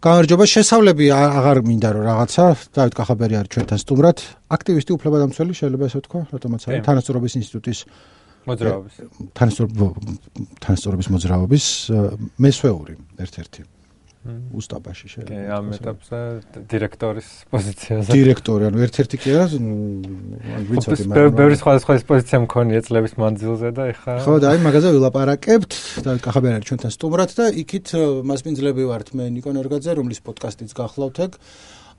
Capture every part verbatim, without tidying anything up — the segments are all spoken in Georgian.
გამარჯობა, შესავლები აღარ მინდა რომ რაღაცა, დავით კახაბერი არის ჩვენთან სტუმრად, აქტივისტი უფლებადამცველი, შეიძლება ესე ვთქვა, რატომაც არის თანასწორობის ინსტიტუტის მოძრაობის. თანასწორობის მოძრაობის მესვეული ერთ-ერთი. უსტაბაში შეიძლება. კი, ამ ეტაპზე დირექტორის პოზიციაზე. დირექტორი, ანუ ერთ-ერთი კი არა, ვიცოდი, მაგრამ ბევრი სხვადასხვა პოზიცია მქონია წლების მანძილზე და ეხლა ხო, და აი მაგაზე ვილაპარაკებთ, დავით კახაბერი არის ჩვენთან სტუმრად და იქით მასპინძლები ვართ მე ნიკონ ორგაძე, რომლის პოდკასტიც გახლავთ ეგ,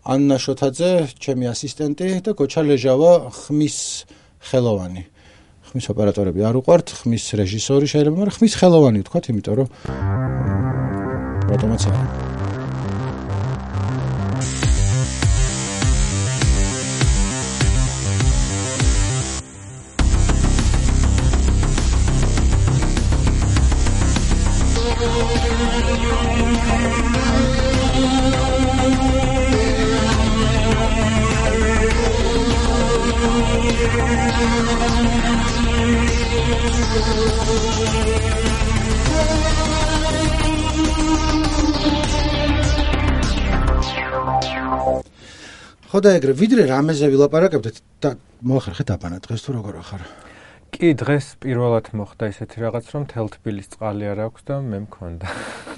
ანნა შოთაძე, ჩემი ასისტენტი და გოჩა ლეჟავა, ხმის ხელოვანი. ხმის ოპერატორები არ უყვართ, ხმის რეჟისორი შეიძლება, მაგრამ ხმის ხელოვანი ვთქვათ, იმიტომ რომ რატომაც არა. ხოდა ეგრე ვიდრე რამეზე ვილაპარაკებდეთ და მოახერხეთ აბანა დღეს თუ როგორ ახარ? კი, დღეს პირველად მოხდა ისეთი რაღაც, რომ თელ თბილის წყალი არ აქვს და მე მქონდა.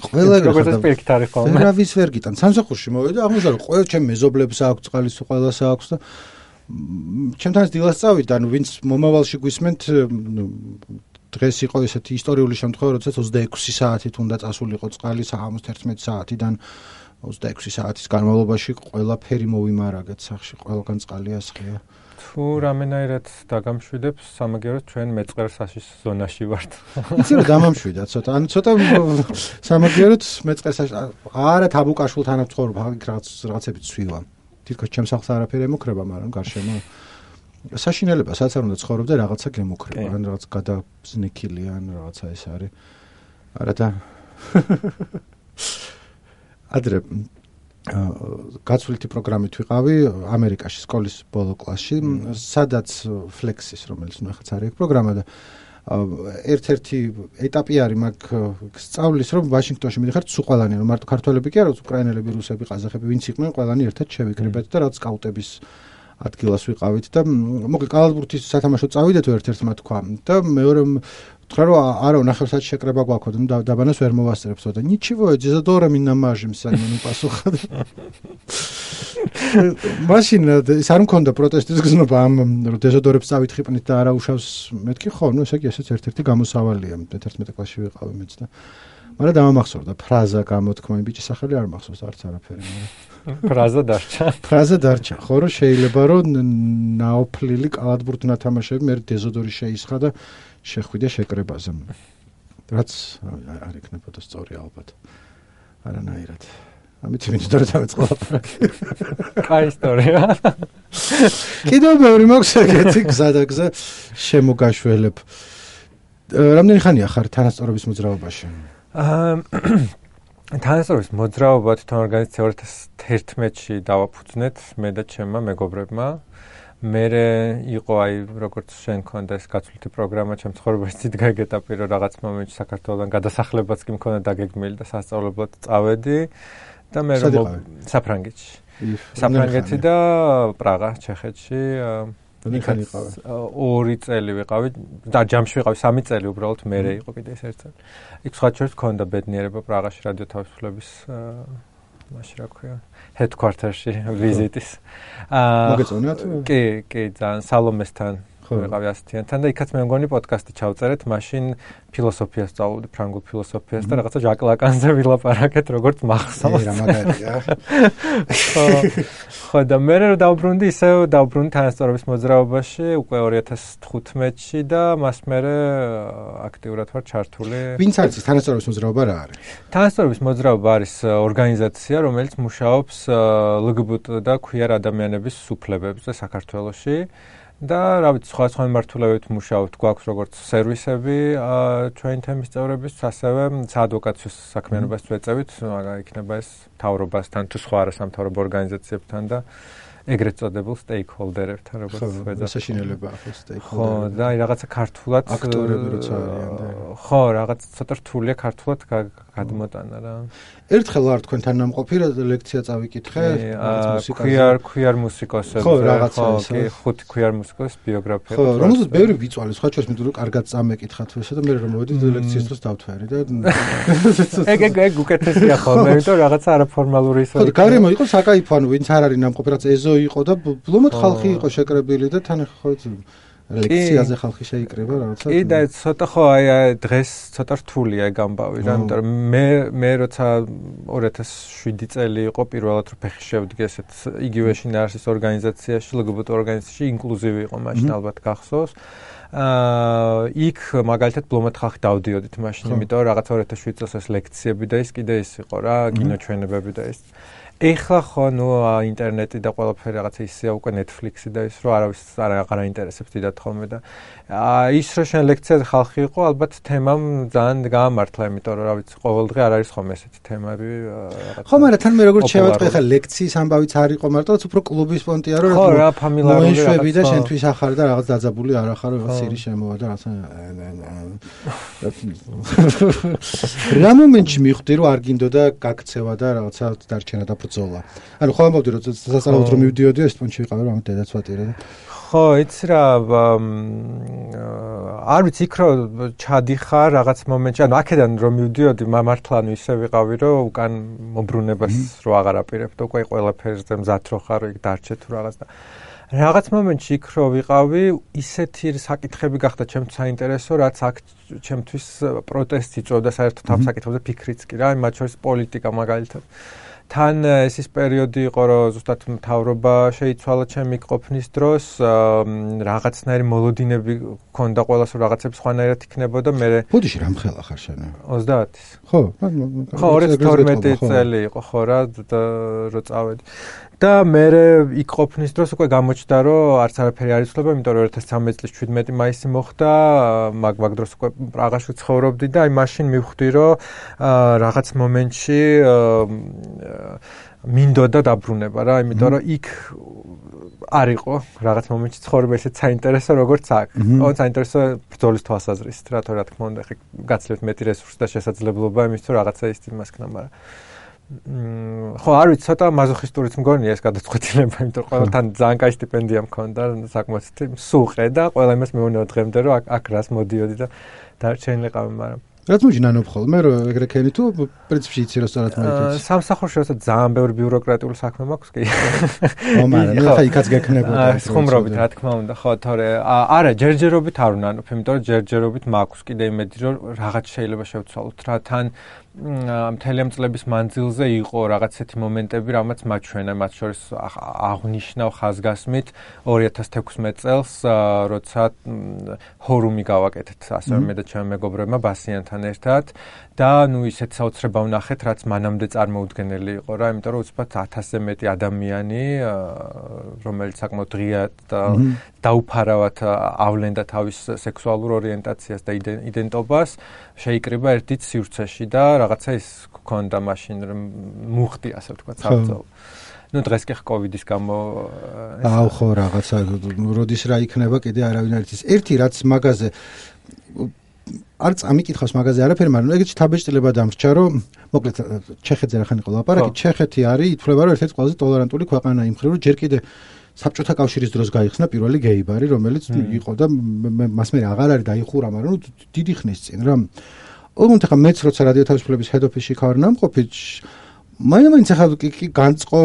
ყველა როგორც პირიქით არის ხოლმე. ვერავის ვერ გიტან. სამსახურში მოვიდა, აღმოჩნდა ყველა ჩემ მეზობლებს აქვს წყალი, ყველას აქვს და ჩემთანაც დილას წავიდა, ანუ ვინც მომავალში გვისმენთ, დღეს იყო ესეთი ისტორიული შემთხვევა, როდესაც ოცდაექვსი საათით უნდა წასულიყო წყალი საღამოს თერთმეტი საათიდან ოცდაექვსი საათის განმავლობაში ყველაფერი მოვიმარაგეთ სახში, ყველგან წყალი ასხია. თუ რამენაირად დაგამშვიდებს, სამაგიეროდ ჩვენ მეწყერსაშის ზონაში ვართ. იცი რომ დამამშვიდა ცოტა, ანუ ცოტა სამაგიეროდ მეწყერსაში არა თაბუკაშვილთან ვცხოვრობ, აქ რაღაც რაღაცები ცვივა. თითქოს ჩემს სახლს არაფერი ემუქრება, მაგრამ გარშემო საშინელება, სადაც არ უნდა ცხოვრობ და რაღაცა გემუქრება, ან რაღაც გადაზნექილი, ან რაღაცა ეს არის. არა და ადრე გაცვლითი პროგრამით ვიყავი ამერიკაში სკოლის ბოლო კლასში, სადაც ფლექსის, რომელიც ნუ ახაც არის პროგრამა და ერთ-ერთი ეტაპი არის მაგ სწავლის, რომ ვაშინგტონში მიდიხართ სულ ყველანი, რომ მარტო ქართველები კი არა, უკრაინელები, რუსები, ყაზახები, ვინც იყვნენ, ყველანი ერთად შევიკრიბეთ და რაღაც სკაუტების ადგილას ვიყავით და მოკლედ კალათბურთის სათამაშო წავიდეთ ერთ-ერთმა თქვა და მეორე თქვა რომ არა ნახევარსაათი შეკრება გვაქვს და დაბანას ვერ მოვასწრებთ და ничего, дезодора ми намажем сами ну пасуха. მაშინ ის არ მქონდა პროტესტის გზნობა ამ რომ დეზოდორებს წავითხრით და არა უშავს მეთქი ხო, ну ესე იგი ესეც ერთ-ერთი გამოსავალია მეთერთმეტე კლასში ვიყავი მეც და მაგრამ დამამახსოვრდა ფრაზა გამოთქმა იმ ბიჭის სახელი არ მახსოვს არც არაფერი მაგრამ ფრაზა დარჩა ფრაზა დარჩა ხო რომ შეიძლება რომ ნაოფლილი კალათბურთ ნათამაშები მე დეზოდორი შეისხა და შეხვიდე შეკრებაზე რაც არ იქნებოდა სწორი ალბათ არანაირად ამით მინდა რომ დავეწყლაპარაკ კაი ისტორია კიდევ ბევრი მაქვს ეგეთი გზა და გზა შემოგაშველებ რამდენი ხანია ხარ თანასწორობის მოძრაობაში თანასწორობის მოძრაობა თვითონ ორგანიზაცია ორი ათას თერთმეტში დავაფუძნეთ მე და ჩემმა მეგობრებმა მერე იყო აი როგორც შენ ქონდა ეს გაცვლითი პროგრამა ჩემ ცხოვრებაში დიდ გაგეტაპი რომ რაღაც მომენტში საქართველოსთან გადასახლებაც კი მქონდა დაგეგმილი და სასწავლებლად წავედი და მე რომ საფრანგეთში საფრანგეთი და პრაღა ჩეხეთში ორი წელი ვიყავი და ჯამში ვიყავი სამი წელი უბრალოდ მერე იყო კიდე ეს ერთ წელი იქ სხვა შორის მქონდა ბედნიერება პრაღაში რადიო თავისუფლების მაშინ რა ქვია headquarter-ში ვიზიტის აა მოგეწონათ კი კი ძალიან სალომესთან ვიყავი ასეთიანთან და იქაც მე მგონი პოდკასტი ჩავწერეთ მაშინ ფილოსოფიას სწავლობდი ფრანგულ ფილოსოფიას და რაღაცა ჟაკ ლაკანზე ვილაპარაკეთ როგორც მახსოვს რა მაგარია ხო და მე რომ დავბრუნდი ისე დავბრუნდი თანასწორობის მოძრაობაში უკვე ორი ათას თხუთმეტში და მას მერე აქტიურად ვარ ჩართული ვინც არის თანასწორობის მოძრაობა რა არის თანასწორობის მოძრაობა არის ორგანიზაცია რომელიც მუშაობს ლგბტ და ქვიარ ადამიანების სუფლებებზე საქართველოში და რა ვიცი სხვა სხვა მიმართულებით მუშაობთ გვაქვს როგორც სერვისები ჩვენი თემის წევრებისთვის ასევე საადვოკაციო საქმიანობას ვეწევით მაგალითად იქნება ეს მთავრობასთან თუ სხვა არასამთავრობო ორგანიზაციებთან და ეგრეთ წოდებულ სტეიქჰოლდერებთან როგორც ვეძახთ საშინელება ახლა სტეიქჰოლდერები ხო და აი რაღაცა ქართულად აქტორები როცა არიან და ხო რაღაც ცოტა რთულია ქართულად გადმოტანა რა. ერთხელ ვარ თქვენთან ნამყოფი ლექცია წავიკითხე, მუსიკაზე. Queer queer მუსიკოსებზე, ხო, რაღაცა ის. კი, ხუთი queer მუსიკოსის ბიოგრაფია. ხო, რომელზეც ბევრი ვიწვალე, სხვა ჩვენს მეტყვი კარგად წამეკითხათ ესა და მე რომ მოვედი ლექციის დროს დავთვარი და ეგ ეგ ეგ უკეთესია ხოლმე, იმიტომ რაღაცა არაფორმალური ისო. ხო, გარემო იყო საკაიფო, ანუ ვინც არ არის ნამყოფი, რაც ეზო იყო და ბლომად ხალხი იყო შეკრებილი და თან ხო ლექციაზე ხალხი შეიკრება რაღაცა. კი და ცოტა ხო აი დღეს ცოტა რთულია ეგ ამბავი რა, იმიტომ რომ მე მე როცა ორი ათას შვიდი წელი იყო პირველად რო ფეხი შევდგე ესეთ იგივე შინაარსის ორგანიზაციაში, ლგბტ ორგანიზაციაში, ინკლუზივი იყო მაშინ ალბათ გახსოვს. აა იქ მაგალითად ბლომად ხალხი დავდიოდით მაშინ, იმიტომ რომ რაღაც ორი ათას შვიდი წელს ეს ლექციები და ის კიდე ის იყო რა, კინოჩვენებები და ის. ეხლა ხო ნუ ინტერნეტი და ყველაფერი რაღაცა ისეა უკვე Netflix-ი და ის რო არავის არ აღარ აინტერესებს დიდად ხოლმე და ის რო შენ ლექციაზე ხალხი იყო ალბათ თემამ ძალიან გაამართლა, იმიტომ რომ რა ვიცი ყოველდღე არ არის ხოლმე ესეთი თემები რაღაცა. ხო, მაგრამ თან მე როგორც შევატყვი ხა ლექციის ამბავიც არ იყო მარტო, უფრო კლუბის პონტია რომ ხო რა ფამილარული მოეშვები და შენთვის ახარ და რაღაც დაძაბული არ ახარ რაღაც სირი შემოვა და რაღაცა რა მომენტში მიხვდი რომ არ გინდოდა გაქცევა და რაღაცა დარჩენა და ბრძოლა. ანუ ხო ამბობდი რომ სასწავლებლად რომ მივდიოდი ეს პონჩი ვიყავი რომ ამ დედაც ვატირე და ხო, იცი რა არ ვიცი იქ რო ჩადიხარ რაღაც მომენტში, ანუ აქედან რომ მივდიოდი მართლა ანუ ისე ვიყავი რომ უკან მომბრუნებას რო აღარ აპირებ და უკვე ყველაფერზე მზად რო ხარ იქ დარჩე თუ რაღაც და რაღაც მომენტში იქ რო ვიყავი ისეთი საკითხები გახდა ჩემთვის საინტერესო, რაც აქ ჩემთვის პროტესტი წოდა საერთოდ ამ საკითხებზე ფიქრიც კი რა, მათ შორის პოლიტიკა მაგალითად. თან ეს ის პერიოდი იყო, რომ ზუსტად მთავრობა შეიცვალა ჩემი ყოფნის დროს, რაღაცნაირი მოლოდინები ქონდა ყველას, რომ რაღაცები სხვანაირად იქნებოდა, მე ბუდიში რამ ხელა ხარ შენ? ოცდაათის. ხო, ხო, ორი ათას თორმეტი წელი იყო ხო რა, რო წავედი. და მე იქ ყოფნის დროს უკვე გამოჩნდა, რომ არც არაფერი არ იცვლება, იმიტომ რომ ორი ათას ცხრამეტი წლის შვიდმეტი მაისი მოხდა, მაგ მაგ დროს უკვე პრაღაში ცხოვრობდი და აი მაშინ მივხვდი, რომ რაღაც მომენტში მინდოდა დაბრუნება რა, იმიტომ რომ იქ არ იყო რაღაც მომენტში ცხოვრება ისეთ საინტერესო როგორც აქ. ო საინტერესო ბრძოლის თვალსაზრისით რა, თორე რა თქმა უნდა, ხე გაცლებთ მეტი რესურსი და შესაძლებლობა იმის თუ რაღაცა ის იმას ქნა, მაგრამ ხო, არ ვიცი, ცოტა მაზოხისტურიც მგონია ეს გადაწყვეტილება, იმიტომ რომ ყველთან ძალიან კაი სტიპენდია მქონდა, საკმაოდ სუყე და ყველა იმას მეუბნება დღემდე, რომ აქ რას მოდიოდი და დარჩენილიყავი, მაგრამ რაც მოიჯი ნანობ ხოლმე რომ ეგრე ქენი თუ პრინციპში იცი რომ სწორად მოიქეცი. სამსახურში როცა ძალიან ბევრი ბიუროკრატიული საქმე მაქვს კი. ო მაგრამ ხა იქაც გექნებოდა. ხუმრობით რა თქმა უნდა, ხო, თორე არა, ჯერჯერობით არ ვნანობ, იმიტომ რომ ჯერჯერობით მაქვს კიდე იმედი რომ რაღაც შეიძლება შევცვალოთ რა, თან მთელი ამ წლების მანძილზე იყო რაღაცეთი მომენტები, რამაც მაჩვენა, მათ შორის აღნიშნავ ხაზგასმით ორი ათას თექვსმეტ წელს, როცა ჰორუმი გავაკეთეთ, ასევე მე და ჩემი მეგობრებმა ბასიანთან ერთად და ნუ ისეთ საოცრება ვნახეთ, რაც მანამდე წარმოუდგენელი იყო რა, იმიტომ რომ უცბად ათასზე მეტი ადამიანი, რომელიც საკმაოდ ღიად და დაუფარავად ავლენდა თავის სექსუალურ ორიენტაციას და იდენტობას, შეიკრიბა ერთით სივრცეში და რაღაცა ის გქონდა მაშინ რომ მუხტი ასე ვთქვათ საბრძოლო. ნუ დღეს კი კოვიდის გამო აუ ხო რაღაცა როდის რა იქნება კიდე არავინ არ იცის. ერთი რაც მაგაზე არც ამიკითხავს მაგაზე არაფერი, მაგრამ ეგეც თაბეჭდილება დამრჩა, რომ მოკლედ ჩეხეთზე რახან იყო ლაპარაკი, ჩეხეთი არის ითვლება რომ ერთ-ერთი ყველაზე ტოლერანტული ქვეყანა იმ მხრივ, რომ ჯერ კიდე საბჭოთა კავშირის დროს გაიხსნა პირველი გეი ბარი, რომელიც იყო და მას მე აღარ არის დაიხურა, მაგრამ ნუ დიდი ხნის წინ რა. ოღონდ ახლა მეც როცა რადიო თავისუფლების head office-ში ხარ ნამყოფი, მაინც ახლა კი განწყო,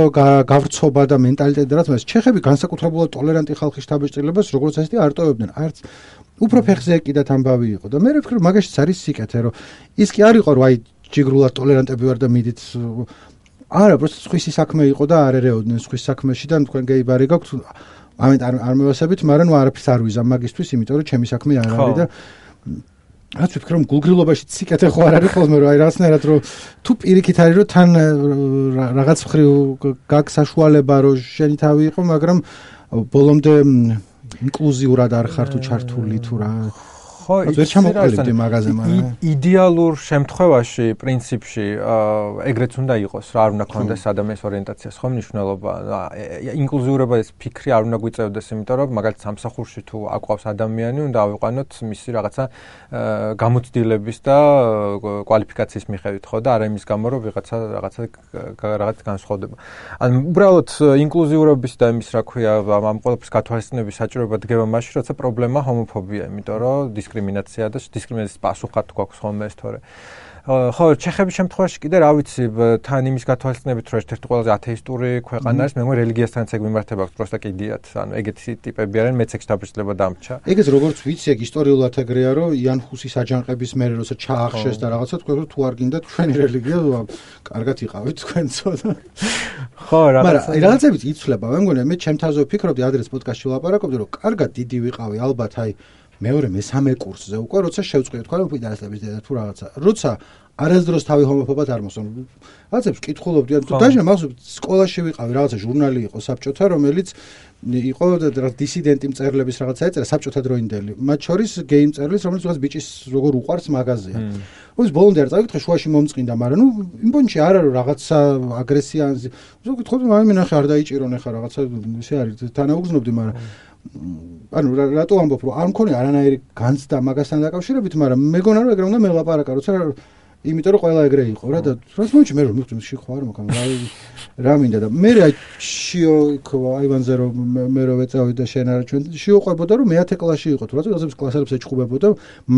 გავრცობა და მენტალიტეტი რაც მას ჩეხები განსაკუთრებულად ტოლერანტი ხალხის თაბეჭდილებას როგორც ასეთი არტოვებდნენ. არც უფრო ფეხზე ეკიდათ ამბავი იყო და მე ვფიქრობ მაგაშიც არის სიკეთე, რომ ის კი არ იყო რომ აი ჯიგრულად ტოლერანტები ვარ და მიდით არა, просто სხვისი საქმე იყო და არ ერეოდნენ სხვის საქმეში და თქვენ გეი ბარი გაქვთ, ამით არ არ მევასებით, მაგრამ ნუ არაფერს არ ვიზამ მაგისთვის, იმიტომ რომ ჩემი საქმე არ არის და რაც ვფიქრობ რომ გულგრილობაში სიკეთე ხო არ არის ხოლმე რომ აი რაღაცნაირად რომ თუ პირიქით არის რომ თან რაღაც მხრივ გაქვს საშუალება რომ შენი თავი იყო, მაგრამ ბოლომდე ინკლუზიურად არ ხარ თუ ჩართული თუ რა. ხო, ხო, ვერ ჩამოყალიბდი მაღაზია, მაგრამ იდეალურ შემთხვევაში, პრინციპში, ეგრეც უნდა იყოს რა, არ უნდა ქონდეს ადამიანის ორიენტაციას, ხო, მნიშვნელობა. ინკლუზიურობის ფიქრი არ უნდა გვიწევდეს, იმიტომ რომ მაგალითად სამსახურში თუ აყვავს ადამიანი, უნდა ავიყვანოთ მისი რაღაცა გამოცდილების და კვალიფიკაციის მიხედვით, ხო, და არა იმის გამო, რომ ვიღაცა რაღაცა რაღაც განსხვავდება. ანუ უბრალოდ ინკლუზიურობის და იმის, რა ქვია, ამ ყველაფრის გათვალისწინების საჭიროება დგება მაშინ, როცა პრობლემა ჰომოფობია, იმიტომ რომ დისკრიმინაცია და დისკრიმინაციის პასუხად გვაქვს ხოლმე ეს თორე. ხო, ჩეხების შემთხვევაში კიდე რა ვიცი, თან იმის გათვალისწინებით, რომ ერთ-ერთი ყველაზე ათეისტური ქვეყანა არის, მე მგონი რელიგიასთანაც ეგ მიმართება აქვს, პროსტა კიდიათ, ანუ ეგეთი ტიპები არიან, მეც ეგ შთაბეჭდილება დამრჩა. ეგეც როგორც ვიცი, ეგ ისტორიულად ეგრეა, რომ იან ჰუსის აჯანყების მერე როცა ჩაახშეს და რაღაცა თქვენ რომ თუ არ გინდათ ჩვენი რელიგია, კარგად იყავით თქვენცო და ხო, რაღაცა. მაგრამ რაღაცებიც იცვლება, მე მგონი მე ჩემთანზე ვფიქრობდი, ადრეს პოდკასტში ვლაპარაკობდი, რომ კარგად დიდი ვიყავი, ალბათ აი მეორე მესამე კურსზე უკვე, როცა შევწყვეტ თქვა რომ ფიდარესების დედა თუ რაღაცა. როცა არასდროს თავი ჰომოფობად არ მოსვენ. რაღაცებს კითხულობდი, თუ დაჟე მახსოვს სკოლაში ვიყავი, რაღაცა ჟურნალი იყო საბჭოთა, რომელიც იყო დისიდენტი მწერლების რაღაცა ეწერა საბჭოთა დროინდელი. მათ შორის გეი მწერლის, რომელიც რაღაც ბიჭის როგორ უყვარს მაღაზია. ოს ბოლომდე არ წავიკითხე, შუაში მომწყინდა, მაგრამ ნუ იმ პონჩი არ არის რაღაცა აგრესია. ვკითხულობდი, მაგრამ მე ნახე არ დაიჭირონ ახლა რაღაცა ისე არის, თანაუგზნობდი, მაგრამ ანუ რატო ამბობ, რომ არ მქონია არანაირი განცდა მაგასთან დაკავშირებით, მაგრამ მეგონა რომ ეგრე უნდა მელაპარაკა, როცა იმიტომ რომ ყველა ეგრე იყო რა და რას მომჩი მე რომ მივხვდი შეხო არ მოკამ რა რა მინდა და მე აი შიო იქ აივანზე რომ მე რომ ეწავი და შენ არა ჩვენ შიო ყვებოდა რომ მეათე კლასში იყო თუ რატო ასებს კლასელებს ეჭყუბებოდა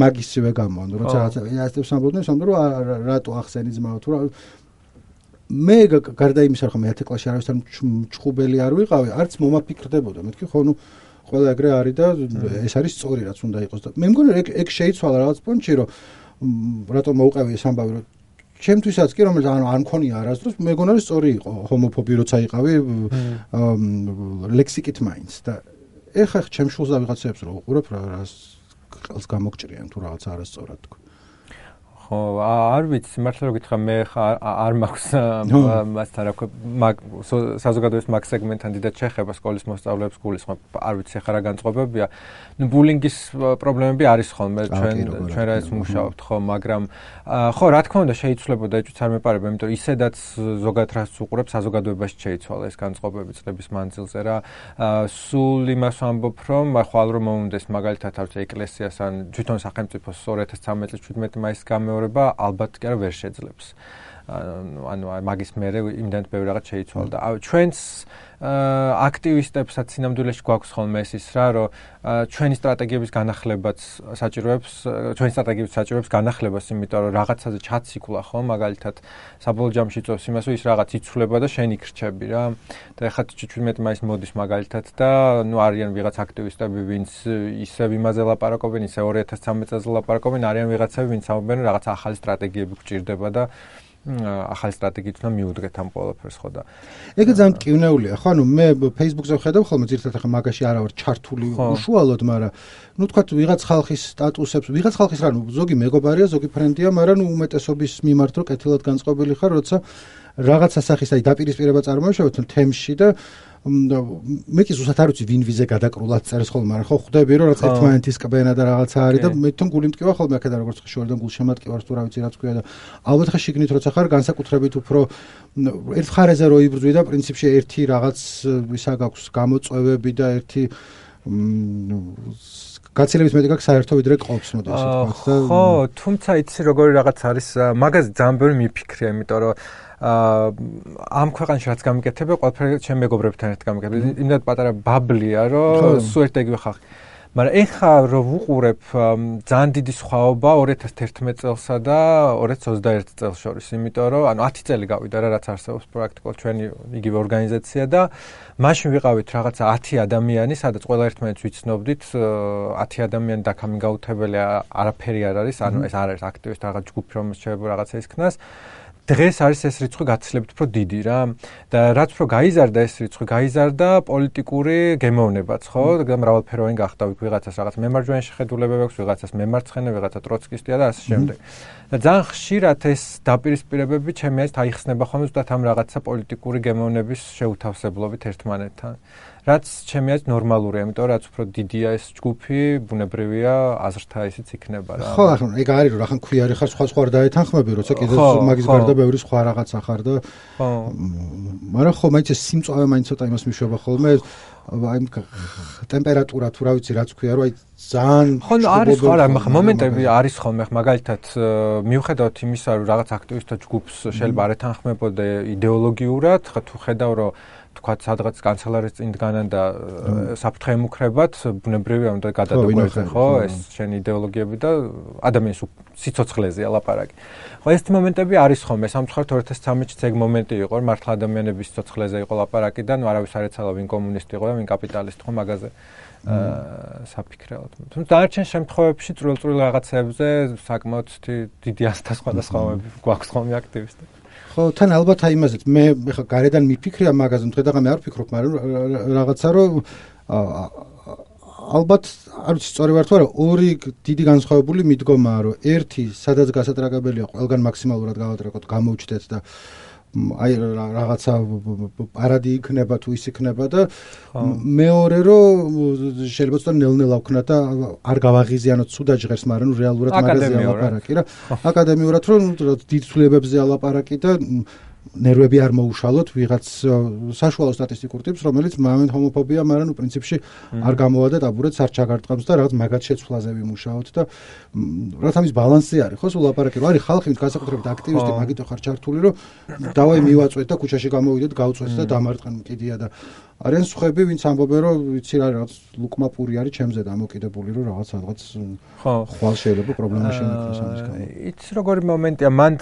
მაგისივე გამოვანდა როცა რაღაცა ასებს ამბობდნენ სამდრო რატო ახსენი ძმაო თუ რა მე გარდა იმისა რომ მეათე კლასში არავისთან ჭყუბელი არ ვიყავი არც მომაფიქრდებოდა მეთქი ხო ნუ ყველა ეგრე არის და ეს არის სწორი რაც უნდა იყოს და მე მგონი ეგ ეგ შეიცვალა რაღაც პონჩი რომ რატომ მოუყევი ეს ამბავი რომ ჩემთვისაც კი რომელიც ანუ არ მქონია არასდროს მეგონა რომ სწორი იყო ჰომოფობი როცა იყავი ლექსიკით მაინც და ეხა ჩემ შულზე ვიღაცებს რო უყურებ რა რას ყელს გამოგჭრიან თუ რაღაც არასწორად თქვა ხო არ ვიცი მართლა რომ გითხრა მე არ მაქვს მასთან რა მაგ საზოგადოების მაგ სეგმენტთან დიდად შეხება სკოლის მოსწავლეებს გულისხმობ არ ვიცი ხა რა განწყობებია ნუ ბულინგის პრობლემები არის ხოლმე ჩვენ ჩვენ რა ეს მუშაობთ ხო მაგრამ ხო რა თქმა უნდა შეიცვლებოდა ეჭვიც არ მეპარება იმიტომ ისედაც ზოგადად რას უყურებ საზოგადოებაში შეიცვალა ეს განწყობები წლების მანძილზე რა სულ იმას ვამბობ რომ ხვალ რომ მომუნდეს მაგალითად არ ვიცი ეკლესიას ან თვითონ სახელმწიფოს ორი ათას ცხრამეტ წლის შვიდმეტი მაისის გამეორება ალბათ კი არა ვერ შეძლებს ანუ მაგის მერე იმდენად ბევრი რაღაც შეიცვალა და ჩვენს აქტივისტებსაც სინამდვილეში გვაქვს ხოლმე ეს ის რა რომ ჩვენი სტრატეგიების განახლებაც საჭიროებს ჩვენი სტრატეგიების საჭიროებს განახლებას იმიტომ რომ რაღაცაზე ჩაციკლა ხო მაგალითად საბოლოო ჯამში წევს იმას რომ ის რაღაც იცვლება და შენ იქრჩები რა და ეხლა შვიდმეტი მაისს მოდის მაგალითად და ნუ არიან ვიღაც აქტივისტები ვინც ისევ იმაზე ლაპარაკობენ ისე ორი ათას ცხრამეტ წელზე ლაპარაკობენ არიან ვიღაცები ვინც ამბობენ რომ რაღაც ახალი სტრატეგიები გვჭირდება და ახალი სტრატეგიით უნდა მიუდგეთ ამ ყველაფერს ხო და ეგ ძალიან კივნეულია ხო ანუ მე Facebook-ზე ვხედავ ხოლმე ძირითადად ახლა მაგაში არა ვარ ჩართული უშუალოდ მაგრამ ნუ თქვა ვიღაც ხალხის სტატუსებს ვიღაც ხალხის რა ნუ ზოგი მეგობარია ზოგი ფრენდია მაგრამ ნუ უმეტესობის მიმართ რო კეთილად განწყობილი ხარ როცა რაღაც ასახის აი დაპირისპირება წარმოიშავეთ თემში და მე კი ზუსტად არ ვიცი ვინ ვიზე გადაკრულად წერს ხოლმე მაგრამ ხო ხვდები რომ რაღაც ერთმანეთის კბენა და რაღაცა არის და მე თვითონ გული მტკივა ხოლმე აქედან როგორც ხშირად გულშემატკივარს თუ რა ვიცი რაც ქვია და ალბათ ხა შიგნით როცა ხარ განსაკუთრებით უფრო ერთ ხარეზე რო იბრძვი და პრინციპში ერთი რაღაც ისა გაქვს გამოწვევები და ერთი გაცილებით მეტი გაქვს საერთო ვიდრე ყობს მოდი ასე ვთქვათ და ხო თუმცა იცი როგორი რაღაც არის მაგაზე ძალიან ბევრი მიფიქრია იმიტომ რომ ამ ქვეყანაში რაც გამიკეთება ყველაფერი ჩემ მეგობრებთან ერთად გამიკეთება იმდენად პატარა ბაბლია რომ სულ ერთ იგივე ხალხი მაგრამ ეხა რომ ვუყურებ ძალიან დიდი სხვაობა ორი ათას თერთმეტ წელსა და ორი ათას ოცდაერთ წელს შორის იმიტომ რომ ანუ ათი წელი გავიდა რა რაც არსებობს პრაქტიკულად ჩვენი იგივე ორგანიზაცია და მაშინ ვიყავით რაღაცა ათი ადამიანი სადაც ყველა ერთმანეთს ვიცნობდით ათი ადამიანი დაკამინგაუთებელი არაფერი არ არის ანუ ეს არ არის აქტივისტი რაღაც ჯგუფი რომელიც შეიძლება რაღაცა ისქნას დღეს არის ეს რიცხვი გაცილებით უფრო დიდი რა და რაც უფრო გაიზარდა ეს რიცხვი გაიზარდა პოლიტიკური გემოვნებაც ხო და მრავალფეროვანი გახდა ვიღაცას რაღაც მემარჯვენე შეხედულებები აქვს ვიღაცას მემარცხენე ვიღაცა ტროცკისტია და ასე შემდეგ და ძალიან ხშირად ეს დაპირისპირებები ჩემი აზრით აიხსნება ხოლმე ზუსტად ამ რაღაცა პოლიტიკური გემოვნების შეუთავსებლობით ერთმანეთთან რაც ჩემი აზრით ნორმალურია, იმიტომ რაც უფრო დიდია ეს ჯგუფი, ბუნებრივია აზრთა ისიც იქნება რა. ხო, ახლა ეგ არის რომ რახან ქვიარი ხარ, სხვა სხვა არ დაეთანხმები, როცა კიდევ მაგის გარდა ბევრი სხვა რაღაცა ხარ და ხო. მაგრამ ხო, მაინც ეს სიმწავე მაინც ცოტა იმას მიშვება ხოლმე, აი ტემპერატურა თუ რა ვიცი რაც ქვია, რომ აი ძალიან ხო, არის ხო რა, მომენტები არის ხოლმე, მაგალითად მიუხედავად იმისა, რომ რაღაც აქტივისტთა ჯგუფს შეიძლება არ ეთანხმებოდე იდეოლოგიურად, ხა თუ ხედავ რომ თქვა სადღაც კანცელარის წინ დგანან და საფრთხე ემუქრებათ, ბუნებრივია უნდა გადადაგვეძე, ხო, ეს შენი იდეოლოგიები და ადამიანის სიცოცხლეზეა ლაპარაკი. ხო, ეს მომენტები არის ხოლმე, სამწუხაროდ ორი ათას ცხრამეტ წელს ეგ მომენტი იყო, რომ მართლა ადამიანების სიცოცხლეზე იყო ლაპარაკი და ნუ არავის არ ეცალა ვინ კომუნისტი იყო და ვინ კაპიტალისტი, ხო, მაგაზე საფიქრებოდ. თუმცა დანარჩენ შემთხვევებში წვრილ-წვრილ რაღაცებზე საკმაოდ დიდი ასთა სხვადასხვაობები გვაქვს ხოლმე აქტივისტები. ხო, თან ალბათ აი იმაზეც მე ხა გარედან მიფიქრია მაგაზე, დღე-დღე არ ვფიქრობ, მაგრამ რაღაცა რომ ალბათ არ ვიცი სწორი ვარ თუ არა, ორი დიდი განსხვავებული მიდგომაა, რომ ერთი სადაც გასატრაგებელია ყველგან მაქსიმალურად გავატრაკოთ, გამოვჩდეთ და აი რაღაცა პარადი იქნება თუ ის იქნება და მეორე რომ შეიძლება ცოტა ნელ-ნელა ვქნათ და არ გავაღიზიანოთ ცუდად ჟღერს, მაგრამ ნუ რეალურად მაგაზია ლაპარაკი რა. აკადემიურად რომ დიდ ცვლილებებზე ალაპარაკი და ნერვები არ მოუშალოთ ვიღაც საშუალო სტატისტიკურ ტიპს, რომელიც მომენტ ჰომოფობია, მაგრამ ნუ პრინციპში არ გამოვადა ტაბურეთს, არ ჩაგარტყამს და რაღაც მაგათ შეცვლაზე ვიმუშაოთ და რაღაც ამის ბალანსი არის, ხო, სულ ლაპარაკი რომ არის ხალხი, განსაკუთრებით აქტივისტი, მაგითო ხარ ჩართული, რომ დავაი მივაწვეთ და ქუჩაში გამოვიდეთ, გავწვეთ და დამარტყან კიდია და არიან სხვები, ვინც ამბობენ, რომ ვიცი რა რაღაც ლუკმა პური არის ჩემზე დამოკიდებული, რომ რაღაც რაღაც ხვალ შეიძლება პრობლემა შემექმნას ამის გამო. იცი როგორი მომენტია, მან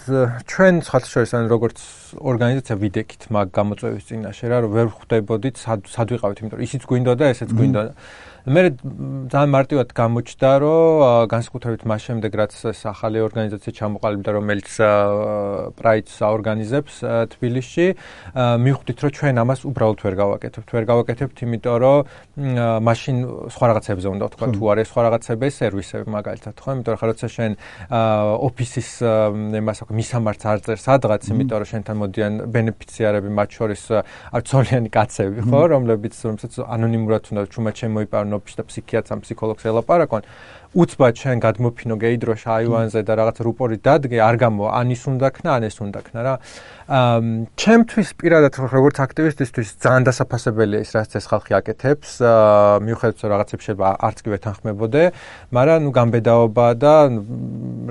ჩვენ სხვათაშორის ან როგორც ორგანიზაცია ვიდექით მაგ გამოწვევის წინაშე რა, რომ ვერ ხვდებოდით სად ვიყავით, იმიტომ რომ ისიც გვინდოდა, ესეც გვინდოდა. მე ძალიან მარტივად გამოჩნდა, რომ განსაკუთრებით მას შემდეგ, რაც ეს ახალი ორგანიზაცია ჩამოყალიბდა, რომელიც პრაიდს აორგანიზებს თბილისში, მივხვდით, რომ ჩვენ ამას უბრალოდ ვერ გავაკეთებთ. ვერ გავაკეთებთ, იმიტომ რომ მაშინ სხვა რაღაცებზე უნდა ვთქვა, თუ არის სხვა რაღაცები, სერვისები მაგალითად, ხო? იმიტომ რომ ხა როცა შენ ოფისის იმას აქვს, მისამართს არ წერს სადღაც, იმიტომ რომ შენთან მოდიან ბენეფიციარები, მათ შორის არცოლიანი კაცები, ხო, რომლებიც რომელსაც ანონიმურად უნდა ჩუმად შემოიპარონ ოფისში და ფსიქიატრს ან ფსიქოლოგს ელაპარაკონ. უცბად შენ გადმოფინო გეიდროშ აივანზე და რაღაც რუპორი დადგე, არ გამო, ან ის უნდა ქნა, ან ეს უნდა ქნა რა. ჩემთვის პირადად როგორც აქტივისტისთვის ძალიან დასაფასებელია ის, რაც ეს ხალხი აკეთებს, მიუხედავად რომ რაღაცებს შეიძლება არც კი ვეთანხმებოდე, მაგრამ ნუ გამბედაობა და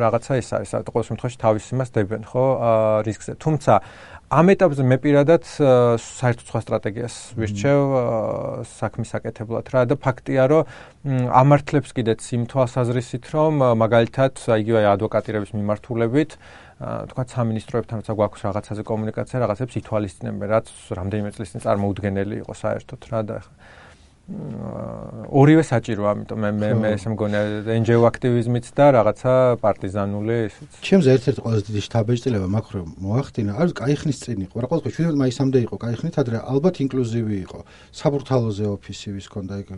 რაღაცა ის არის, ყოველ შემთხვევაში თავის იმას დებენ, ხო, რისკზე. თუმცა ამ ეტაპზე მე პირადად საერთოდ სხვა სტრატეგიას ვირჩევ საქმის აკეთებლად რა და ფაქტია რომ ამართლებს კიდეც იმ თვალსაზრისით რომ მაგალითად იგივე ადვოკატირების მიმართულებით თქვა სამინისტროებთან როცა გვაქვს რაღაცაზე კომუნიკაცია რაღაცებს ითვალისწინებენ რაც რამდენიმე წლის წინ წარმოუდგენელი იყო საერთოდ რა და ორივე საჭირო, ამიტომ მე მე მე ესე მგონია ენჯიო აქტივიზმიც და რაღაცა პარტიზანული ისიც. ჩემზე ერთ-ერთი ყველაზე დიდი შთაბეჭდილება მაქრო მოახდინა, არის კაი ხნის წინ იყო, რა ყოველთვის შვიდმეტ მაისამდე იყო კაი ხნით, ადრე ალბათ ინკლუზივი იყო. საბურთალოზე ოფისი ვის ქონდა ეგ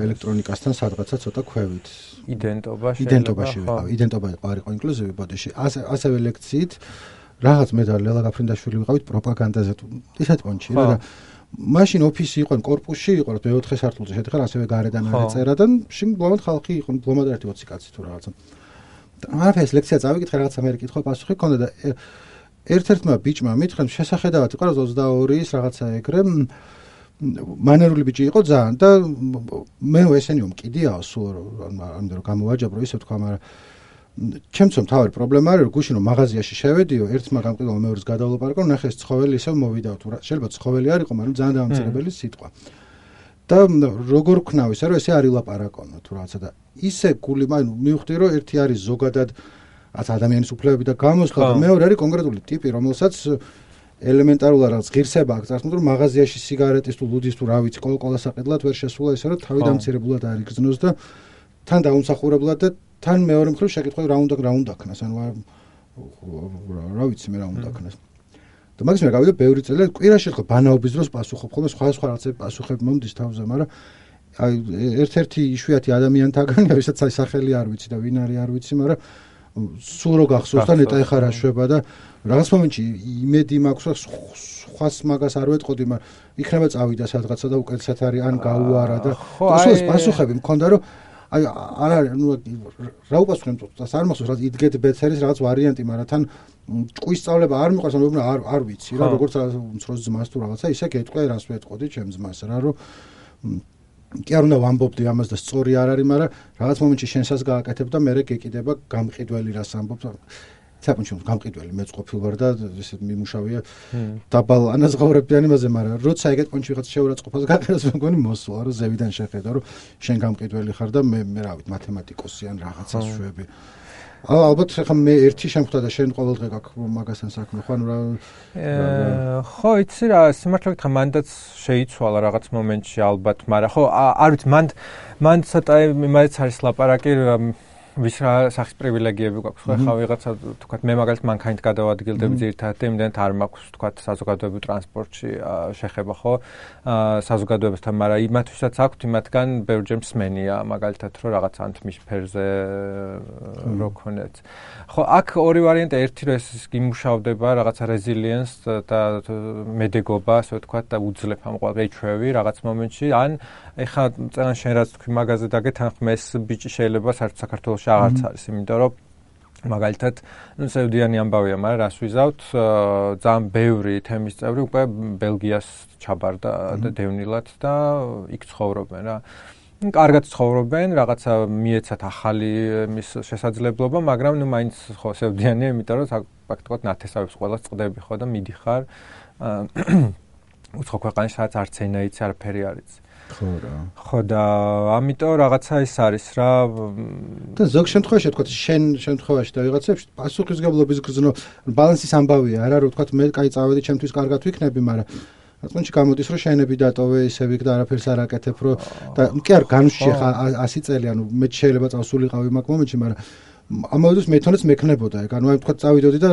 ელექტრონიკასთან სადღაცა ცოტა ქვევით. იდენტობა შეიძლება. იდენტობაში ვიყავ, იდენტობა არ იყო ინკლუზივი ბოდიში. ასე ასევე ლექციით რაღაც მე და ლელა გაფრინდაშვილი ვიყავით პროპაგანდაზე თუ ისეთ პონჩი რა და მაშინ ოფისი იყო, კორპუსში იყო, მეოთხე სართულზე შედიხარ, ასევე გარედან არ ეწერა და შინ ბლომად ხალხი იყო, ბლომად ერთი ოცი კაცი თუ რაღაცა. არაფერს ლექცია წავიკითხე, რაღაცა მე კითხვა პასუხი ქონდა და ერთ-ერთმა ბიჭმა მითხრა, შესახედავად იყო ოცდაორის რაღაცა ეგრე მანერული ბიჭი იყო ძალიან და მე ესენიო მკიდიაო სულ ამდენ რომ გამოვაჯაბრო ისე თქვა, მაგრამ ჩემთვის მთავარი პრობლემა არის, რომ გუშინ რომ მაღაზიაში შევედიო, ერთმა გამყიდველმა მეორეს გადავლაპარაკო, ნახე ეს ცხოველი ისევ მოვიდა თუ შეიძლება ცხოველი არ იყო, მაგრამ ძალიან დამამცირებელი სიტყვა. და როგორ ვქნავ ისე, რომ ესე არ ილაპარაკონო თუ რაღაცა და ისე გული მივხვდი, რომ ერთი არის ზოგადად რაც ადამიანის უფლებები და გამოსხლა და მეორე არის კონკრეტული ტიპი, რომელსაც ელემენტარულად რაღაც ღირსება აქვს, წარსულში რომ მაღაზიაში სიგარეტის თუ ლუდის თუ რა ვიცი, კოლკოლა საყიდლად ვერ შესულა ისე, რომ თავი დამცირებულად არ იგრძნოს და თან დაუმსახურებლად და თან მეორე მხრივ შეკითხვა რა უნდა რა უნდა ქნას, ანუ რა ვიცი მე რა უნდა ქნას. და მაგის მე გავიდა ბევრი წელი, კვირაში ხო ბანაობის დროს პასუხობ ხოლმე სხვა სხვა რაღაცები პასუხები მომდის თავზე, მაგრამ აი ერთ-ერთი იშვიათი ადამიანთაგანია, ვისაც აი სახელი არ ვიცი და ვინ არის არ ვიცი, მაგრამ სულ რო გახსოვს და ნეტა ეხარა შვება და რაღაც მომენტში იმედი მაქვს, რომ სხვას მაგას არ ვეტყოდი, მაგრამ იქნება წავიდა სადღაცა და უკეთესად არის ან გაუარა და სულ პასუხები მქონდა რომ აი არ არის ნუ რა უპასუხებ წას არ მახსოვს რა იდგეთ ბეცერის რაღაც ვარიანტი, მაგრამ თან ჭკუის სწავლება არ მიყვარს, ანუ არ არ ვიცი რა როგორც უმცროს ძმას თუ რაღაცა ისე გეტყვე რას ვეტყოდი ჩემ ძმას რა რომ კი არ უნდა ვამბობდი ამას და სწორი არ არის, მაგრამ რაღაც მომენტში შენსაც გააკეთებ და მე გეკიდება გამყიდველი რას ამბობ. საკუთარ გამყიდველი მეც ყოფილ ვარ და ესე მიმუშავია დაბალ ანაზღაურებიან იმაზე, მაგრამ როცა ეგეთ პონჩი ვიღაც შეურაცხყოფას გაყერას მეგონი მოსულა რომ ზევიდან შეხედა რომ შენ გამყიდველი ხარ და მე მე რა ვიცი მათემატიკოსი ან რაღაცა შვები. ალბათ ხა მე ერთი შემხვდა და შენ ყოველდღე გაქვს მაგასთან საქმე ხო ანუ რა ხო იცი რა სიმართლე გითხრა მანდაც შეიცვალა რაღაც მომენტში ალბათ, მაგრამ ხო არ ვიცი მან მან ცოტა იმაიც არის ლაპარაკი ვის რა სახის პრივილეგიები გვაქვს ხო ხა ვიღაცა თქვათ მე მაგალითად მანქანით გადავადგილდები ძირითადად იმდენად არ მაქვს თქვათ საზოგადოებრივ ტრანსპორტში შეხება ხო საზოგადოებასთან, მაგრამ იმათვისაც აქვთ იმათგან ბევრჯერ მსმენია მაგალითად რომ რაღაც ანთმის ფერზე რო ქონეთ ხო აქ ორი ვარიანტი, ერთი რომ ეს იმუშავდება რაღაცა რეზილიენს და მედეგობა ასე ვთქვათ და უძლებ ამ ყოველდღიჩვევი რაღაც მომენტში, ან ეხლა წელან შენ რაც თქვი მაგაზე დაგეთ ან ხმეს ბიჭი შეიძლება საერთოდ საქართველოში აღარც არის, იმიტომ რომ მაგალითად ნუ სევდიანი ამბავია, მაგრამ რას ვიზავთ ძალიან ბევრი თემის წევრი უკვე ბელგიას ჩაბარდა და დევნილად და იქ ცხოვრობენ რა. კარგად ცხოვრობენ, რაღაცა მიეცათ ახალი მის შესაძლებლობა, მაგრამ ნუ მაინც ხო სევდიანია, იმიტომ რომ ფაქტობრივად ნათესავებს ყველა წდები ხო და მიდიხარ უცხო ქვეყანაში, სადაც არც ენა იცი, არაფერი არ იცი. ხო რა. ხო და ამიტომ რაღაცა ის არის რა და ზოგ შემთხვევაში თქვა შენ შემთხვევაში და ვიღაცებში პასუხისგებლობის გზნო ბალანსის ამბავია არა რომ თქვა მე კაი წავედი ჩემთვის კარგად ვიქნები, მაგრამ რატომში გამოდის რომ შენები დატოვე ისე ვიქ და არაფერს არ აკეთებ რომ და კი არ განვშე ხა ასი წელი ანუ მე შეიძლება წავსულიყავი მაგ მომენტში, მაგრამ ამავდროულად მე თვითონაც მექნებოდა ეგ ანუ აი თქვა წავიდოდი და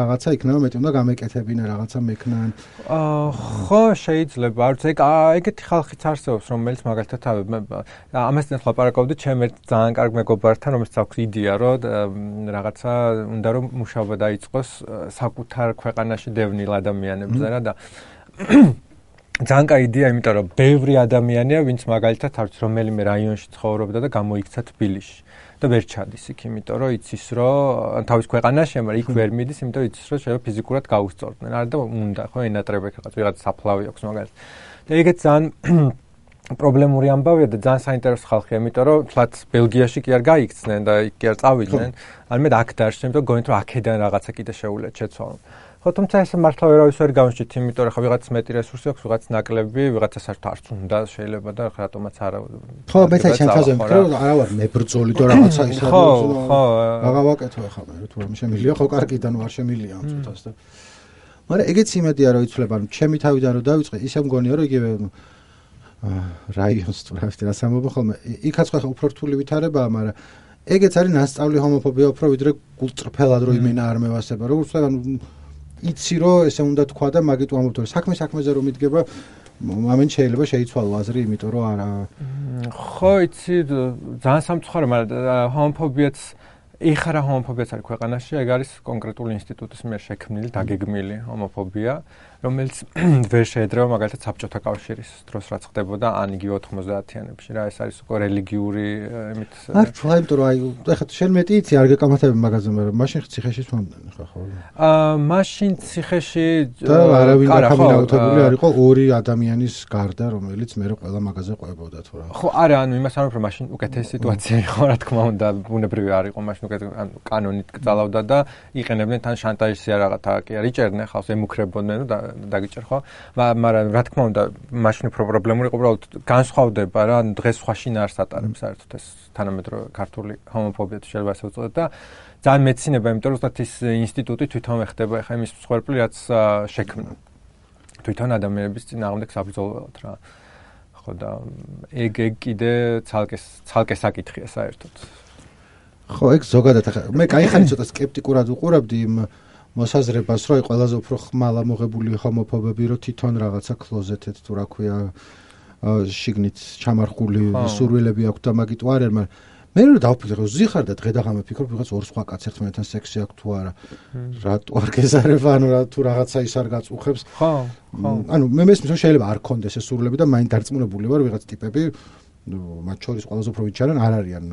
რაღაცა იქნება მეტი უნდა გამეკეთებინა რაღაცა მექნან ხო შეიძლება არც ეგ ეგეთი ხალხიც არსებობს რომელიც მაგალითად ამასთან ლაპარაკობდი ჩემ ერთ ძალიან კარგ მეგობართან რომელსაც აქვს იდეა რომ რაღაცა უნდა რომ მუშაობა დაიწყოს საკუთარ ქვეყანაში დევნილ ადამიანებზე რა და ძალიან კაი იდეა, იმიტომ რომ ბევრი ადამიანია, ვინც მაგალითად არც რომელიმე რაიონში ცხოვრობდა და გამოიქცა თბილისში და ვერ ჩადის იქ, იმიტომ რომ იცის რომ თავის ქვეყანაში, მაგრამ იქ ვერ მიდის, იმიტომ რომ იცის რომ შეიძლება ფიზიკურად გაუსწორდნენ. არა და უნდა ხო ენატრებեք რაღაც ვიღაც საფლავი აქვს მაგალითად. და ეგეც ძალიან პრობლემური ამბავია და ძალიან საინტერესო ხალხია, იმიტომ რომ თლაც ბელგიაში კი არ გაიქცნენ და იქ კი არ წავიდნენ, ან მე აქ დარჩნენ, იმიტომ გონით რომ აქედან რაღაცა კიდე შეუულიათ შეცვალონ. ხო თუმცა ეს მართლა ვერავის ვერ გამოსჭით, იმიტომ რომ ხა ვიღაც მეტი რესურსი აქვს, ვიღაც ნაკლები, ვიღაცა საერთოდ არც უნდა შეიძლება და რატომაც არა. ხო, მე თვითონ ჩემთაზე ვფიქრე, რომ არა ვარ მებრძოლი და რაღაცა ის ხო, ხო. რაღა ვაკეთო ახლა მე, თუ რომ შემილია, ხო კარგიდან ვარ შემილია ამ წუთას და. მაგრამ ეგეც იმედია რომ იცვლება, ანუ ჩემი თავიდან რომ დავიწყე, ისე მგონია რომ იგივე რაიონს თუ რა ვიცი რა სამბობ ხოლმე. იქაც ხო უფრო რთული ვითარებაა, მაგრამ ეგეც არის ნასწავლი ჰომოფობია უფრო ვიდრე გულწრფელად რომ იმენა არ მევასება, როგორც ანუ იცი რომ ესე უნდა თქვა და მაგით ვამბობთ რომ საქმე საქმეზე რომ მიდგება მომენტ შეიძლება შეიცვალო აზრი, იმიტომ რომ არა ხო იცი ძალიან სამწუხარო, მაგრამ ჰომოფობიაც ეხლა რა ჰომოფობიაც არის ქვეყანაში, ეგ არის კონკრეტული ინსტიტუტის მიერ შექმნილი დაგეგმილი ჰომოფობია, რომელიც ვერ შეედრება მაგალითად საბჭოთა კავშირის დროს რაც ხდებოდა ან იგივე ოთხმოცდაათიანებში რა, ეს არის უკვე რელიგიური იმით არ თქვა, იმიტომ რომ აი ეხლა შენ მეტი იცი არ გეკამათები მაგაზე, მაგრამ მაშინ ციხეში სვამდნენ ხო ხო აა მაშინ ციხეში და არავინ დაკამინაუთებული არ იყო ორი ადამიანის გარდა, რომელიც მე ყველა მაგაზე ყვებოდა თუ რა ხო არა, ანუ იმას არ ვფიქრობ, მაშინ უკეთესი სიტუაცია იყო რა თქმა უნდა, ბუნებრივი არ იყო მაშინ ანუ კანონით გწალავდა და იყენებდნენ თან შანტაჟი რაღაცა კი არ იჭერდნენ ხალხს, ემუქრებოდნენ და დაგიჭერ ხო, მაგრამ რა თქმა უნდა მაშინ უფრო პრობლემური იყო, უბრალოდ განსხვავდება რა, დღეს სხვა შინაარს ატარებს საერთოდ ეს თანამედროვე ქართული ჰომოფობია შეიძლება ასე ვწოდოთ და ძალიან მეცინება, იმიტომ რომ ზუსტად ის ინსტიტუტი თვითონ ხდება ახლა იმის მსხვერპლი რაც შექმნა თვითონ ადამიანების წინააღმდეგ საბრძოლველად რა. ხო და ეგ ეგ კიდე ცალკე ცალკე საკითხია საერთოდ. ხო, ეგ ზოგადად ახლა მე კაი ხანი ცოტა სკეპტიკურად უყურებდი იმ მოსაზრებას, რომ აი ყველაზე უფრო ხმალა მოღებული ჰომოფობები, რომ თვითონ რაღაცა კლოზეტეთ თუ რა ქვია, შიგნით ჩამარხული სურვილები აქვს და მაგით ვარ, მაგრამ მე რო დავფიქრე რომ ზიხარ და დღე და ღამე ფიქრობ ვიღაც ორ სხვა კაც ერთმანეთთან სექსი აქვს თუ არა რატო არ გეზარება ანუ რა თუ რაღაცა ის არ გაწუხებს ხო ხო ანუ მე მესმის რომ შეიძლება არ კონდეს ეს სურვილები და მაინც დარწმუნებული ვარ ვიღაც ტიპები მათ შორის ყველაზე უფრო ვიჩარენ არ არიან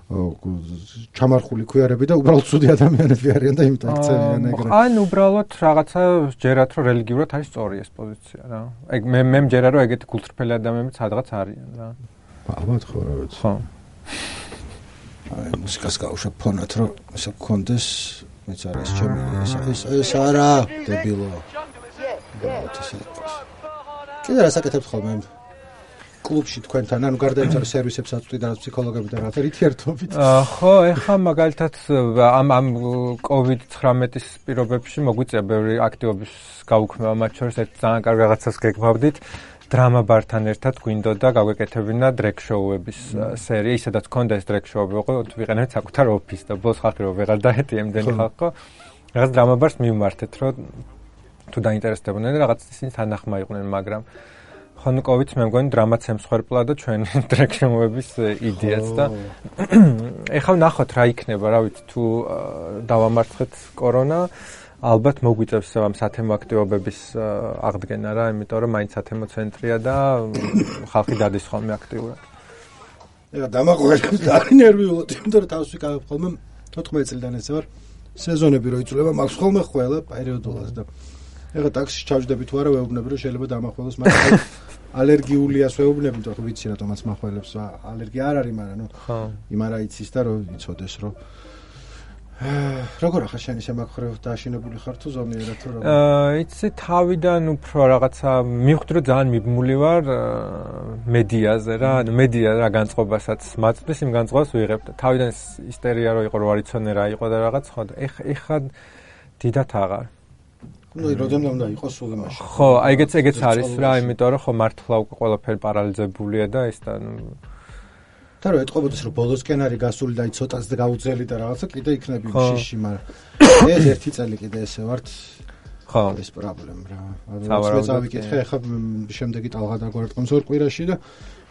ჩამარხული ქუიარები და უბრალოდ ცუდი ადამიანები არიან და იმიტომ იქცევიან ეგრე. ან უბრალოდ რაღაცა ჯერათ რომ რელიგიურად არის სწორი ეს პოზიცია რა. ეგ მე მე მჯერა რომ ეგეთი გულწრფელი ადამიანები სადღაც არიან რა. ალბათ ხო რა ვიცი. ხო. აი მუსიკას გავუშვებ ფონად რომ ესა გქონდეს მეც არის ჩემი ეს ეს არა დებილო. კიდე რა საკეთებთ ხოლმე კლუბში თქვენთან, ანუ გარდა იმისა, რომ სერვისებს აწვდით და ფსიქოლოგები და რაღაცა რითი ერთობით? ხო, ეხლა მაგალითად ამ ამ კოვიდ ცხრამეტის პირობებში მოგვიწია ბევრი აქტივობის გაუქმება, მათ შორის ერთ ძალიან კარგ რაღაცას გეგმავდით. დრამა ბართან ერთად გვინდოდა გაგვეკეთებინა დრეგ შოუების სერია, ისედაც ქონდა ეს დრეგ შოუები, ხო, ვიყენებთ საკუთარ ოფისს და ბოლოს ხალხი რომ ვეღარ დაეტია იმდენი ხალხო. რაღაც დრამა ბარს მივმართეთ, რომ თუ დაინტერესდებოდნენ რაღაც ისინი თანახმა იყვნენ, მაგრამ ხან კოვიდს მე მგონი დრამაც ემსხვერპლა და ჩვენი დრეგ შოუების იდეაც და ეხლა ნახოთ რა იქნება, რა ვიცი, თუ დავამარცხეთ კორონა ალბათ მოგვიწევს ამ სათემო აქტივობების აღდგენა რა, იმიტომ რომ მაინც სათემო ცენტრია და ხალხი დადის ხოლმე აქტიურად. ეხლა დამაყვერებს და ნერვიულად, იმიტომ რომ თავს ვიკავებ ხოლმე თოთხმეტ წლიდან ესე ვარ სეზონები რო იწლება, მაქვს ხოლმე ყველა პერიოდულად და ეხლა ტაქსში ჩავჯდები თუ არა ვეუბნები რომ შეიძლება დამახველოს, მაგრამ ალერგიულია ვეუბნები, თქო ვიცი რატომაც მახველებს, ალერგია არ არის, მაგრამ ნუ იმარა იცის და რომ იცოდეს რომ როგორ ახლა შენი შემაქრევ დააშინებული ხარ თუ ზომიერად თუ როგორ? აა იცი თავიდან უფრო რაღაცა მივხვდი რომ ძალიან მიბმული ვარ მედიაზე რა, ანუ მედია რა განწყობასაც მაწვდის, იმ განწყობას ვიღებ და თავიდან ისტერია რო იყო, რო არ იცოდნენ რა იყო და რაღაც ხო და ეხ ეხა დიდათ აღარ. ну и родом უნდა იყოს სულ იმაში. ხო, აი ეგეც ეგეც არის რა, იმიტომ რომ ხო მართლა უკვე ყველაფერი პარალიზებულია და ის და ნუ და რო ეთყობოდეს რომ ბოლოსკენ არის გასული და ცოტაც და გაუძელი და რაღაცა კიდე იქნები შიში, მაგრამ ეს ერთი წელი კიდე ესე ვართ. ხო, ეს პრობლემა რა. ანუ წავიკითხე ახლა შემდეგი ტალღა დაგვარტყმს ორ კვირაში და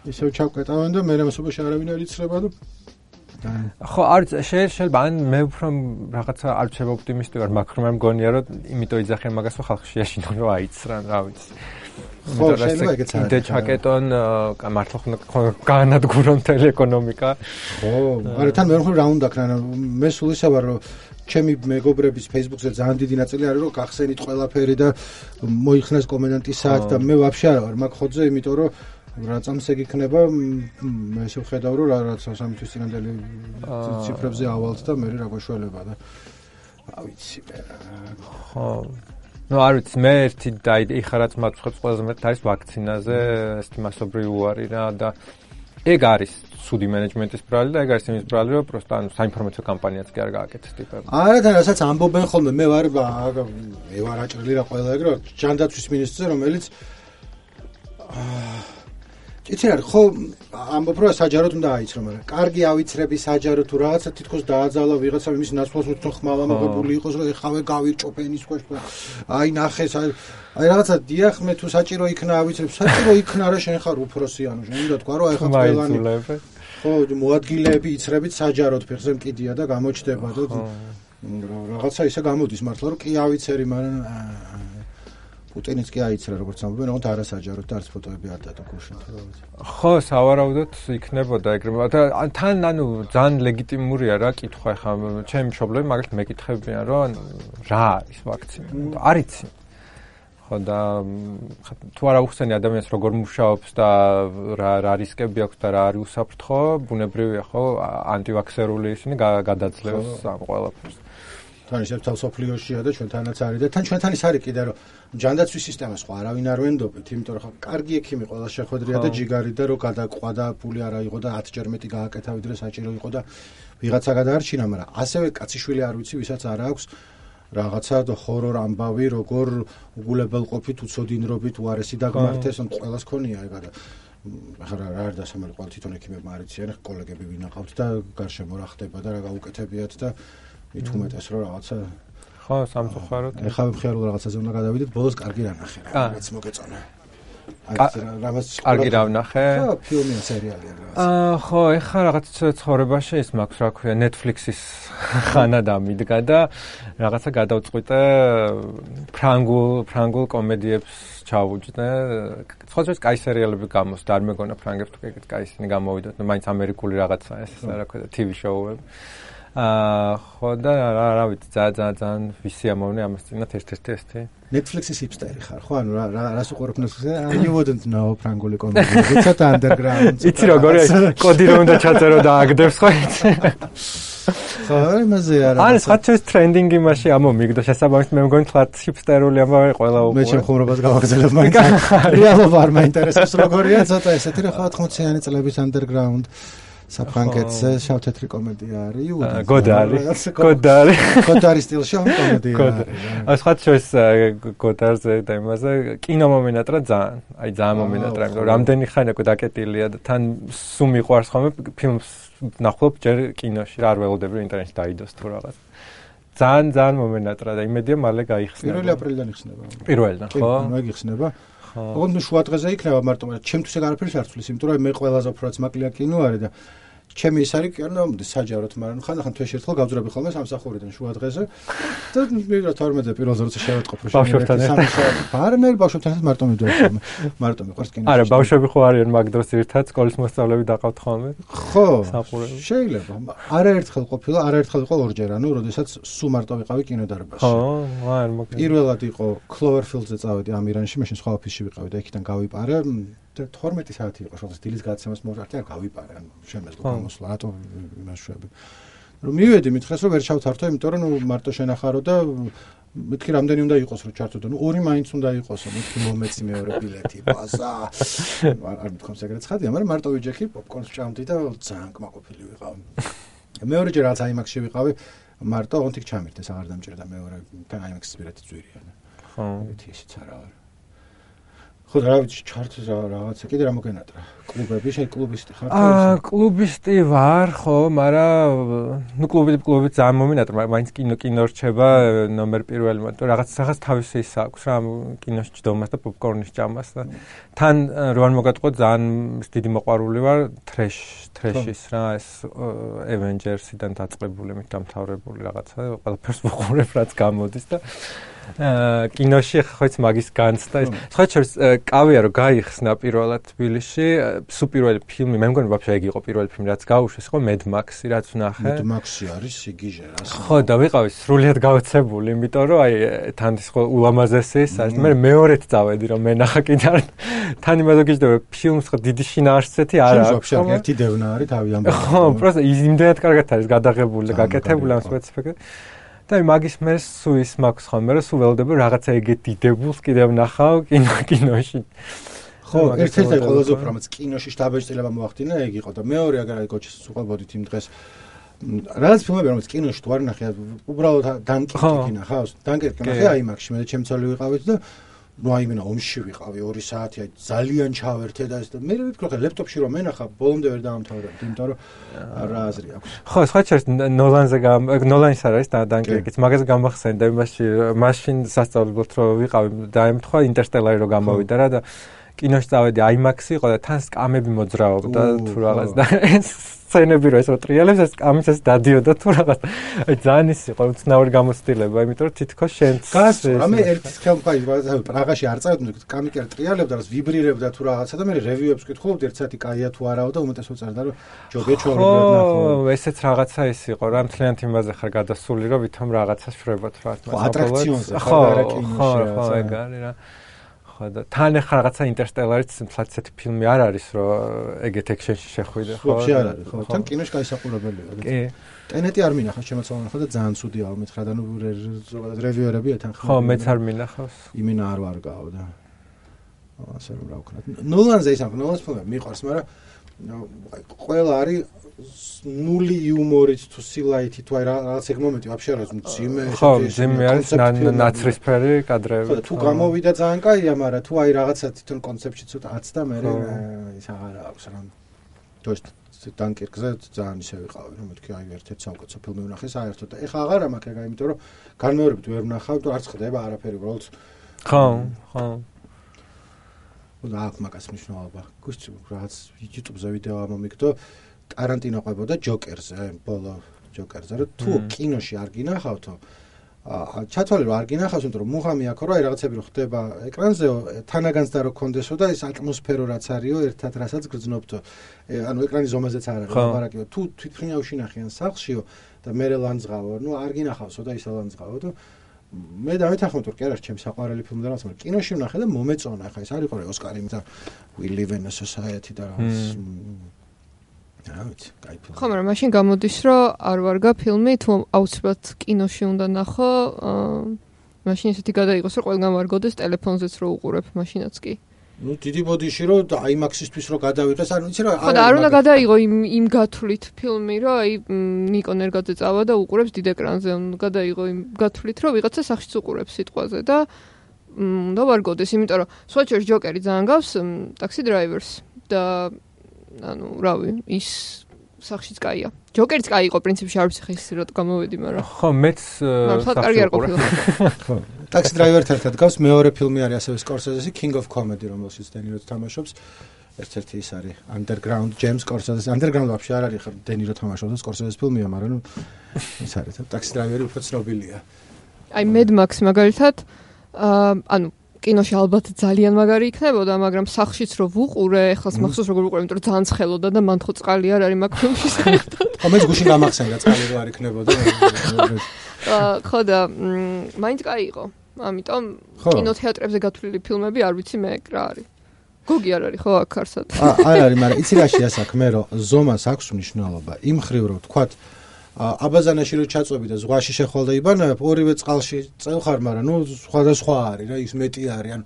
ისევ ჩავკეტავენ და მე რამოსობაში არავინ არ იცრება და ხო, არ შეიძლება ან მე უფრო რაღაცა არ ვჩება ოპტიმისტი ვარ, მაგრამ მე მგონია რომ იმიტომ იძახენ მაგას რომ ხალხი შეაშინონ რომ აიცრან, რა ვიცი. ხო, შეიძლება ეგეც არის. და ჩაკეტონ მართლა ხო განადგურონ მთელი ეკონომიკა. ხო, არა თან მე რა უნდა ქნა, მე სულ ისე ვარ რომ ჩემი მეგობრების Facebook-ზე ძალიან დიდი ნაწილი არის რომ გახსენით ყველაფერი და მოიხსნეს კომენდანტის საათი და მე ვაფშე არა ვარ მაგ ხოძზე, იმიტომ რომ რა წამსეგ იქნება მე ესე ვხედავ რომ რაღაც სამი თვის წინანდელი ციფრებზე ავალთ და მე რა გვაშველება და რა ვიცი მე ხო ნუ არ ვიცი მე ერთი და იხარაც მაცხებს ყველაზე მეტად არის ვაქცინაზე ესეთი მასობრივი უარი რა და ეგ არის სუდი მენეჯმენტის ბრალი და ეგ არის იმის ბრალი რომ პროსტა ანუ საინფორმაციო კამპანიაც კი არ გააკეთეს ტიპები არა და რასაც ამბობენ ხოლმე მე ვარ მე ვარ აჭრილი რა ყველა ეგ რომ ჯანდაცვის მინისტრზე რომელიც იცი რა ხო ამბობ რომ საჯაროდ უნდა აიცრო მაგრამ კარგი ავიცრები საჯარო თუ რაღაცა თითქოს დააძალა ვიღაცა იმის ნაცვლად უფრო ხმალა მოგებული იყოს რომ ეხავე გავირჭოფენ ის ქვეშ აი ნახეს აი რაღაცა დიახ მე თუ საჭირო იქნა ავიცრებ საჭირო იქნა რა შენ ხარ უფროსი ანუ შენ უნდა თქვა რომ აი ხა ყველანი ხო მოადგილეები იცრებით საჯაროდ ფეხზე მკიდია და გამოჩდება და რაღაცა ისე გამოდის მართლა რომ კი ავიცერი მაგრამ პუტინიც კი აიცრა როგორც ამბობენ, თუმცა არასაჯაროდ და არც ფოტოები არ დადო გუშინ თუ რა ვიცი. ხო, სავარაუდოდ იქნებოდა ეგრე და თან ანუ ძალიან ლეგიტიმურია რა კითხვა ხა ჩემი მშობლები მაგალითად მეკითხებიან რომ რა არის ვაქცინა. არ იცი. ხო და თუ არა უხსენი ადამიანს როგორ მუშაობს და რა რა რისკები აქვს და რა არის უსაფრთხო, ბუნებრივია ხო ანტივაქსერული ისინი გადაძლევს ამ ყველაფერს. თან ისევ თავსოფლიოშია და ჩვენთანაც არის და თან ჩვენთან ის არის კიდე რომ ჯანდაცვის სისტემას ხო არავინ არ ვენდობთ, იმიტომ რომ ხა კარგი ექიმი ყველა შეხვედრია და ჯიგარი და რო გადაყვა და ფული არა იყო და ათჯერ მეტი გააკეთა ვიდრე საჭირო იყო და ვიღაცა გადაარჩინა, მაგრამ ასევე კაციშვილი არ ვიცი, ვისაც არ აქვს რაღაცა ჰორორ ამბავი, როგორ უგულებელყოფით, უცოდინრობით, უარესი დაგმართეს, ან ყველას ქონია ეგა და ახლა რა არ დასამალი ყოველ თვითონ ექიმებმა არ იციან, კოლეგები ვინაყავთ და გარშემო რა ხდება და რა გაუკეთებიათ და მით უმეტეს რომ რაღაცა ხო სამწუხაროდ ეხლა მხიარულ რაღაცაზე უნდა გადავიდეთ ბოლოს კარგი რა ნახე რა რაც მოგეწონა რამაც კარგი რა ვნახე. ხო, ფილმი სერიალია რაღაც. აა, ხო, ეხლა რაღაც ცხოვრებაში ის მაქვს, რა ქვია, Netflix-ის ხანა დამიდგა და რაღაცა გადავწყვიტე ფრანგულ ფრანგულ კომედიებს ჩავუჯდე. სხვადასხვა კაი სერიალები გამოსდა, არ მეგონა ფრანგებს თუ ეგეთ კაი ისინი გამოვიდათ, ნუ მაინც ამერიკული რაღაცა ეს რა ქვია, T V show-ები. აა, ხო და რა რა ვიცი, ძალიან ძალიან ვისი ამოვნე ამას წინათ ერთ-ერთი ესეთი. Netflix-ის hipsteri ხარ, ხო? ანუ რა რას უყურებ Netflix-ზე? You wouldn't know ფრანგული კომედია. ცოტა underground. იცი როგორია, კოდი რომ უნდა ჩაწერო და აგდებს ხო იცი? ხო, იმაზე არა. ან საერთოდ trending იმაში ამომიგდო შესაბამისად მე მგონი თლათ hipsterული ამბავი ყველა უყურე. მე შემხმურობას გავაგზავნებ მაინც. რეალობა არ მაინტერესებს როგორია, ცოტა ესეთი რა ხო ოთხმოციანი წლების underground საფრანგეთზე შავ-თეთრი კომედია არის. გოდარი. გოდარი. გოდარი სტილში კომედია არის. აი სხვა შორის გოდარზე და იმაზე კინო მომენატრა ძალიან. აი ძალიან მომენატრა, იმიტომ რომ რამდენი ხანი უკვე დაკეტილია და თან სულ მიყვარს ხოლმე ფილმს ნახულობ ჯერ კინოში რა არ ველოდები ინტერნეტში დაიდოს თუ რაღაც. ძალიან ძალიან მომენატრა და იმედია მალე გაიხსნება. პირველი აპრილიდან იხსნება. პირველიდან, ხო? მაგ იხსნება. ოღონდ ნუ შუა დღეზე იქნება მარტო, მაგრამ ჩემთვის ეგ არაფერს არ თulis, იმიტომ რომ მე ყველაზე უფრო რაც მაკლია კინო არის და ჩემი ის არის კი არა საჯაროდ, მაგრამ ხანდახან თვეში ერთხელ გავძრები ხოლმე სამსახურიდან შუა დღეზე და მივიდა თორმეტზე პირველზე როცა შევატყობ რომ ბავშვებთან არანაირ ბავშვებთანაც მარტო მივდივარ ხოლმე მარტო მიყვარს კინო. არა, ბავშვები ხო არიან მაგ დროს ერთად სკოლის მოსწავლეები დაყავთ ხოლმე. ხო, შეიძლება. არაერთხელ ყოფილა, არაერთხელ იყო ორჯერ, ანუ როდესაც სულ მარტო ვიყავი კინოდარბაზში. ხო, არ მოგე. პირველად იყო Cloverfield-ზე წავედი ამირანში, მაშინ სხვა ოფისში ვიყავი და იქიდან გავიპარე. თორმეტი საათი იყო შეხს დილის გადაცემას მოვარდი, არ გავიპარე, ანუ შემეძლო გამოსვლა, რატო იმაშვები. რომ მივედი, მითხრეს რომ ვერ ჩავთართო, იმიტომ რომ ნუ მარტო შენახარო და მეთქი რამდენი უნდა იყოს რომ ჩართო და ნუ ორი მაინც უნდა იყოსო, მეთქი მომეცი მეორე ბილეთი, ბაზა. არ მithქვამს ეგრეთ ცხადია, მაგრამ მარტო ვიჯექი, პოპკორნს ვჭამდი და ძალიან კმაყოფილი ვიყავი. მეორეჯერ რაც აიმაქსში ვიყავი, მარტო ოღონდ იქ ჩამირდეს, აღარ დამჭირდა მეორე აიმაქსის ბილეთი ძვირია. ხო, ეგეთი ისიც არა არის. ხო და რა ვიცი ჩარტს რაღაცა კიდე რა მოგენატრა კლუბები შე კლუბისტი ხარ აა კლუბისტი ვარ ხო მაგრამ ნუ კლუბი კლუბი ძალიან მომენატრა მაინც კინო კინო რჩება ნომერ პირველი მაგრამ რაღაც რაღაც თავისი ის აქვს რა კინოში ჯდომას და პოპკორნის ჭამას და თან რო არ მოგატყო ძალიან დიდი მოყვარული ვარ ტრეშ ტრეშის რა ეს Avengers-იდან დაწყებული მით დამთავრებული რაღაცა ყველაფერს ვუყურებ რაც გამოდის და აა კინოში ხოიც მაგის განცდა ეს სხვა შორის კავია რომ გაიხსნა პირველად თბილისში სუ პირველი ფილმი მე მგონი ვაფშე ეგ იყო პირველი ფილმი რაც გაუშვეს იყო Mad Max-ი რაც ვნახე Mad Max-ი არის სიგიჟე რა ხო და ვიყავი სრულიად გავაცებული იმიტომ რომ აი თან ის ხო ულამაზესი ის არის მე მეორედ წავედი რომ მენახა კიდე თან იმაზე გიждდება ფილმს ხო დიდი შინაარსეთი არ აქვს ვაფშე ერთი დევნა არის თავი ამბობ ხო პროსტა იმდენად კარგად არის გადაღებული და გაკეთებული ამ სპეციფიკა და მაგის მე სულ ის მაქვს ხოლმე რომ სულ ველოდები რაღაცა ეგეთ დიდებულს კიდევ ნახავ კინო კინოში ხო ერთ-ერთი ყველაზე უფრო რაც კინოში შტაბეჭდილება მოახდინა ეგ იყო და მეორე აგარ აი გოჩის უყებოდით იმ დღეს რაღაც ფილმები რომელიც კინოში თუ არ ნახე უბრალოდ დანკერკი ნახავს დანკერკი ნახე აიმაქსში მე და ჩემ ცოლი ვიყავით და ну აიმენა ომში ვიყავი ორი საათი აი ძალიან ჩავერთე და ეს და მე ვიფიქრე ხა ლეპტოპში რომ მენახა ბოლომდე ვერ დაამთავრებდი იმიტომ რომ რა აზრი აქვს ხო სხვა შორის ნოლანზე ნოლანის არის და დანკერკიც მაგაზე გამახსენდა იმაში მაშინ სასწავლებლად რომ ვიყავი და ემთხვა ინტერსტელარი რომ გამოვიდა რა და კინოში წავედი აიმაქსი იყო და თან სკამები მოძრაობდა თუ რაღაც და ეს სცენები რო ეს რო ტრიალებს ეს სკამის ეს დადიოდა თუ რაღაც აი ძალიან ის იყო უცნაური გამოცდილება იმიტომ რომ თითქოს შენც გასწორ მე ერთ ხელმფაი პრაღაში არ წავედი სკამი კი არ ტრიალებდა რაც ვიბრირებდა თუ რაღაცა და მე რევიუებს ვკითხულობდი ერთ საათი კაია თუ არაო და უმეტესად წერდა რომ ჯობია ჩავრიგდოთ ნახო ესეც რაღაცა ის იყო რა მთლიანად იმაზე ხარ გადასული რომ ვითომ რაღაცას შვებოთ რა თქმა უნდა ატრაქციონზე ხო ხო ხო ეგ არის რა ხო და თან ახლა რაღაცა ინტერსტელარიც თლაც ესეთი ფილმი არ არის რომ ეგეთ ექშენში შეხვიდე ხო ვაფშე არ არის ხო თან კინოში გაისაყურებელია კი ტენეტი არ მინახავს შემოწმოვნა ხო და ძალიან ცუდია მითხრა და ნუ ზოგადად რევიუერები ეთან ხო ხო მეც არ მინახავს იმენა არ ვარგაო და ასე რომ რა ვქნათ ნოლანზე ის აქვს ნოლანს ფილმები მიყვარს მაგრამ ყველა არის ნული იუმორით თუ სილაითი თუ აი რაღაც ეგ მომენტი ვაფშე არ არის მძიმე ხო მძიმე არის ნაცრისფერი კადრები ხო თუ გამოვიდა ძალიან კაია მაგრამ თუ აი რაღაცა თვითონ კონცეფტში ცოტა აცდა მე ის აღარ აქვს რა то есть დანკერკზე ძალიან ისე ვიყავი რომ მეთქი აი ერთ-ერთი საუკეთესო ფილმი ვნახე საერთოდ და ეხა აღარა მაქვს ეგ იმიტომ რომ განმეორებით ვერ ვნახავ თუ არ ხდება არაფერი უბრალოდ ხო ხო და აქ მაგას მნიშვნელობა. გუშინ რაღაც YouTube-ზე ვიდეო ამომიგდო ტარანტინო ყვებოდა ჯოკერზე, ბოლო ჯოკერზე, რომ თუ კინოში არ გინახავთო, აა ჩათვალე რომ არ გინახავს, იმიტომ რომ მუღამი აქ რა რაღაცები რო ხდება ეკრანზე, თანაგანცდა რო კონდესო და ეს ატმოსფერო რაც არისო, ერთად რასაც გრძნობთო. ანუ ეკრანის ზომაზეც არ არის ლაპარაკი, თუ თვითფრინავ შინახიან სახლშიო და მე ლანძღავო, ნუ არ გინახავსო და ისა ლანძღავო და მე დავეთანხმებ რომ კი არა ჩემს საყვარელი ფილმი და რაღაც, მაგრამ კინოში ვნახე და მომეწონა, ხა ეს არის ყო ოსკარი და We Live in a Society და რაღაც რა ვიცი, კაი ფილმი. ხო, მაგრამ მაშინ გამოდის რომ არ ვარგა ფილმი, თუ აუცილებლად კინოში უნდა ნახო, მაშინ ისეთი გადაიღოს რომ ყველგან ვარგოდეს ტელეფონზეც რო უყურებ მაშინაც კი. ნუ დიდი ბოდიში რომ აიმაქსისთვის რო გადავიღეს, არ ვიცი რა. ხო, და არ უნდა გადაიღო იმ იმ გათვლით ფილმი, რომ აი ნიკო ნერგაძე წავა და უყურებს დიდ ეკრანზე, უნდა გადაიღო იმ გათვლით, რომ ვიღაცა სახშიც უყურებს სიტყვაზე და უნდა ვარგოდეს, იმიტომ რომ სვაჩერს ჯოკერი ძალიან გავს ტაქსი დრაივერს და ანუ რავი, ის სახშიც კაია. ჯოკერიც კაი იყო პრინციპში, არ ვიცი ხა ის რა გამოვედი, მაგრამ ხო, მეც სახში კარგი არ ყოფილა. ხო. ტაქსი დრაივერთან ერთად გავს მეორე ფილმი არის ასევე სკორსეზესი King of Comedy, რომელშიც დენირო თამაშობს. ერთ-ერთი ის არის Underground James Scorsese. Underground вообще არ არის ხა დენირო თამაშობს და სკორსეზეს ფილმია, მაგრამ ნუ ის არის. ტაქსი დრაივერი უფრო ცნობილია. აი Mad Max მაგალითად ანუ კინოში ალბათ ძალიან მაგარი იქნებოდა, მაგრამ სახშიც რო ვუყურე, ეხლაც მახსოვს როგორ ვუყურე, იმიტომ რომ ძალიან ცხელოდა და მან ხო წყალი არ არის მაგ ფილმში საერთოდ. ხო, მეც გუშინ გამახსენდა წყალი რო არ იქნებოდა. აა ხო და მაინც კაი იყო. ამიტომ კინოთეატრებზე გათვლილი ფილმები არ ვიცი მე რა არის. გოგი არ არის ხო აქ არსად? არ არის, მაგრამ იცი რა შეასაქმე, რომ ზომას აქვს მნიშვნელობა. იმ ხრივ რომ თქვათ აბაზანაში რო ჩაწვევი და ზღვაში შეხვალ და იბანებ, ორივე წყალში წევხარ, მაგრამ ნუ სხვადასხვა არის რა, ის მეტი არის. ანუ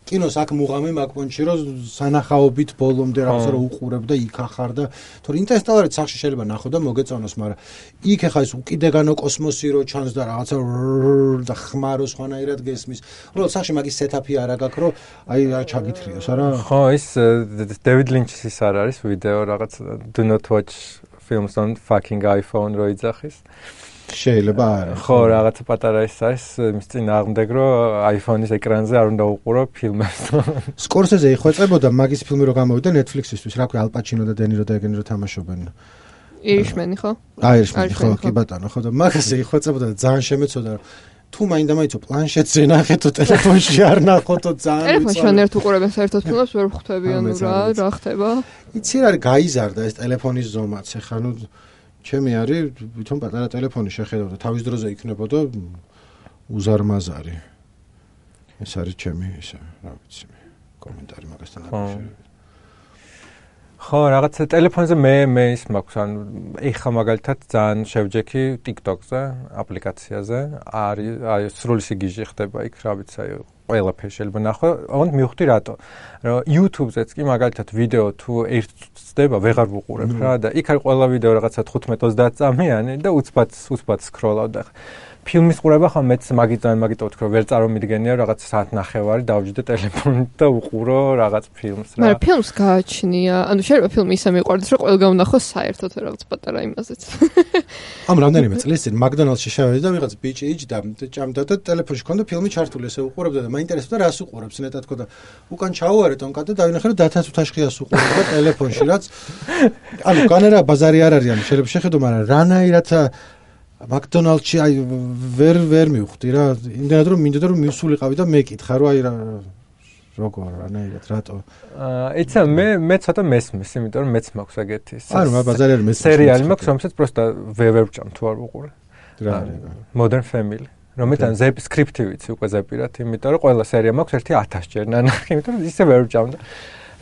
კინოს აქ მუღამი მაგ პონჩი რო სანახაობით ბოლომდე რაღაცა რო უყურებ და იქ ახარ და თორე ინტერსტელარით სახში შეიძლება ნახო და მოგეწონოს, მაგრამ იქ ახლა ის უკიდეგანო კოსმოსი რო ჩანს და რაღაცა და ხმარო სხვანაირად გესმის. უბრალოდ სახში მაგის სეტაპი არა გაქვს, რომ აი რა ჩაგითხრიოს, არა? ხო, ის დევიდ ლინჩის ის არ არის ვიდეო რაღაც do not watch films on fucking iPhone რო იძახის. შეიძლება არა. ხო, რაღაცა პატარა ის არის, მის წინ აღმდეგ რომ iPhone-ის ეკრანზე არ უნდა უყურო ფილმებს. სკორსეზე იხვეწებოდა მაგის ფილმი რო გამოვიდა Netflix-ისთვის, რა ქვია, ალ პაჩინო და დენირო და ეგენი რო თამაშობენ. ირიშმენი ხო? აირიშმენი ხო, კი ბატონო, ხო და მაგაზე იხვეწებოდა და ძალიან შემეცოდა რომ თუ მაინდა მაინც პლანშეტზე ნახეთო ტელეფონში არ ნახოთო ძალიან ტელეფონში ან ერთ უყურებენ საერთოდ ფილმებს ვერ ხვდები ანუ რა რა ხდება იცი რა გაიზარდა ეს ტელეფონის ზომაც ეხა ნუ ჩემი არის თვითონ პატარა ტელეფონი შეხედავ და თავის დროზე იქნებოდა უზარმაზარი ეს არის ჩემი ისე რა ვიცი კომენტარი მაგასთან დაკავშირებით ხო, რაღაც ტელეფონზე მე მე ის მაქვს, ანუ ეხა მაგალითად ძალიან შევჯექი TikTok-ზე, აპლიკაციაზე, არის აი სრული სიგიჟე ხდება იქ, რა ვიცი, აი ყველაფერი შეიძლება ნახო, ოღონდ მივხვდი რატო. რომ YouTube-ზეც კი მაგალითად ვიდეო თუ ერთს ცდება, ვეღარ ვუყურებ რა და იქ არის ყველა ვიდეო რაღაცა თხუთმეტ ოცდაათ წამიანი და უცბად უცბად სკროლავ და ფილმის ყურება ხომ მეც მაგიტან მაგიტო ვთქვა ვერ წარმომიდგენია რაღაც საათ ნახევარი დავჯდე ტელეფონით და უყურო რაღაც ფილმს რა. მაგრამ ფილმს გააჩნია, ანუ შეიძლება ფილმი ისე მიყვარდეს რომ ყველგან ვნახოს საერთოდ რაღაც პატარა იმაზეც. ამ რამდენიმე წლის წინ მაკდონალდსში შევედი და ვიღაც ბიჭი იჯდა ჭამდა და ტელეფონში ქონდა ფილმი ჩართული, ესე უყურებდა და მაინტერესებდა რას უყურებს ნეტად ქონდა. უკან ჩაუარე ტონკა და დავინახე რომ დათაც უთაშხიას უყურებდა ტელეფონში რაც ანუ კანერა ბაზარი არ არის, ანუ შეიძლება შეხედო, მაგრამ რანაირად მაკდონალდსში აი ვერ ვერ მივხვდი რა, იმდენად რომ მინდოდა რომ მივსულიყავი და მეკითხა რომ აი რა როგორ რანაირად რატო აა ეცა მე მე ცოტა მესმის, იმიტომ რომ მეც მაქვს ეგეთი არა მაგ ბაზარი არის მესმის სერიალი მაქვს, რომელსაც პროსტა ვერ ვჭამ თუ არ ვუყურე. რა Modern Family. რომელთან ზეპ სკრიპტი ვიცი უკვე ზეპირად, იმიტომ რომ ყველა სერია მაქვს ერთი ათას ჯერ ნანახი, იმიტომ რომ ისე ვერ ვჭამ და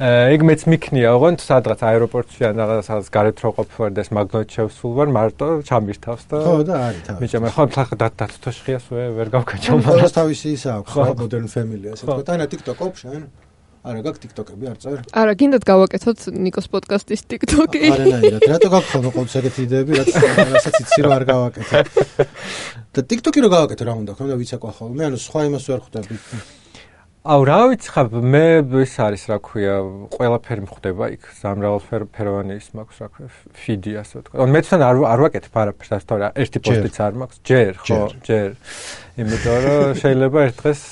ეგ მეც მიქნია, ოღონდ სადღაც აეროპორტში ან რაღაცას გარეთ რო ყოფილვარ და ეს მაგნიტ შევსულ ვარ, მარტო ჩამირთავს და ხო და არის თავი. მიჭამ ხო ხა დათუთოშხიას ვერ გავკაჩო მაგრამ ყველას თავისი ისა აქვს ხო Modern Family ასე თქვა და TikTok ოფშენ არა გაქვს TikTok-ები არ წერ? არა, გინდათ გავაკეთოთ ნიკოს პოდკასტის TikTok-ი. არა, არა, რატო გაქვს ხოლმე ყოველთვის ეგეთი იდეები, რაც რასაც იცი რომ არ გავაკეთე. და TikTok-ი რო გავაკეთე რა უნდა, ხომ და ვიცაკვა ხოლმე, ანუ სხვა იმას ვერ ხვდები. აუ რა ვიცი ხა მე ის არის რა ქვია ყველაფერი მხვდება იქ სამრავალფეროვანი ის მაქვს რა ქვია ფიდი ასე ვთქვა. ანუ მე თან არ არ ვაკეთებ არაფერს ასე თორე ერთი პოსტიც არ მაქვს ჯერ ხო ჯერ იმიტომ რომ შეიძლება ერთ დღეს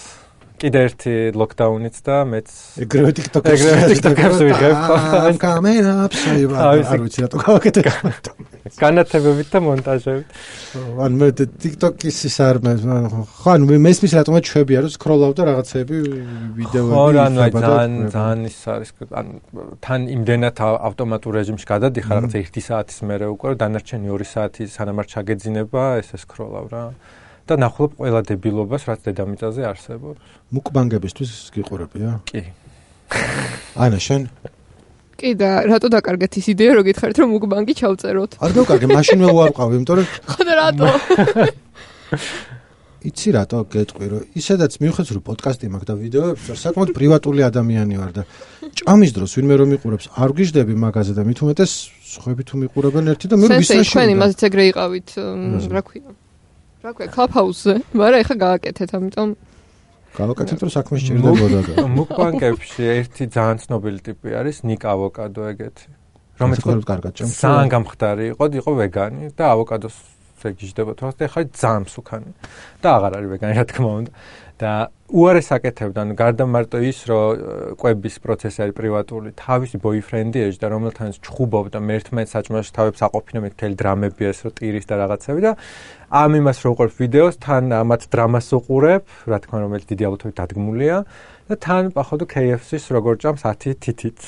კიდე ერთი ლოკდაუნიც და მეც ეგრევე TikTok-ს ეგრევე TikTok-ს ვიღებ. I'm coming up, არ ვიცი რატო გავაკეთე. განათებებით და მონტაჟებით. ან მე TikTok-ის ის არ მე ხო ანუ მე მესმის რატომაც ჩვევია რომ სკროლავ და რაღაცეები ვიდეოები ხო რა ანუ ძალიან ძალიან ის არის ან თან იმდენად ავტომატურ რეჟიმში გადადიხარ რაღაცა ერთი საათის მერე უკვე დანარჩენი ორი საათი სანამ არ ჩაგეძინება ესე სკროლავ რა და ნახულობ ყველა დებილობას რაც დედამიწაზე არსებობს. მუკბანგებისთვის გიყურებია? კი. ანა შენ? კი და რატო დაკარგეთ ის იდეა რომ გითხარით რომ მუკბანგი ჩავწეროთ? არ დავკარგე, მაშინვე უარყავი, იმიტომ რომ ხო და რატო? იცი რატო გეტყვი რომ ისედაც მივხვდეთ რომ პოდკასტი მაქვს და ვიდეოებს საკმაოდ პრივატული ადამიანი ვარ და ჭამის დროს ვინმე რომ მიყურებს არ გიждები მაგაზე და მით უმეტეს სხვები თუ მიყურებენ ერთი და მე ვისრაში თქვენ იმაზეც ეგრე იყავით რა ქვია რა ქვია კლაფჰაუსზე მაგრამ ეხა გააკეთეთ ამიტომ გავაკეთეთ რომ საქმე სჭირდებოდა და მუკბანგებში ერთი ძალიან ცნობილი ტიპი არის ნიკ ავოკადო ეგეთი რომელიც კარგად ჭამს ძალიან გამხდარი იყო იყო ვეგანი და ავოკადოს ეგიჟდება თორს და ხა ძალიან მსუქანი და აღარ არის ვეგანი რა თქმა უნდა და უარეს აკეთებდა ანუ გარდა მარტო ის რომ კვების პროცესი არის პრივატული თავისი ბოიფრენდი ეჯდა რომელთანაც ჩხუბობდა მე ერთმანეთს საჭმელში თავებს აყოფინა მე მთელი დრამები ეს რომ ტირის და რაღაცები და ამ იმას რო უყურებ ვიდეოს თან ამათ დრამას უყურებ რა თქმა უნდა რომელიც დიდი ალბათობით დადგმულია და თან პახოვდო კეი ეფ სის როგორ ჭამს ათი თითით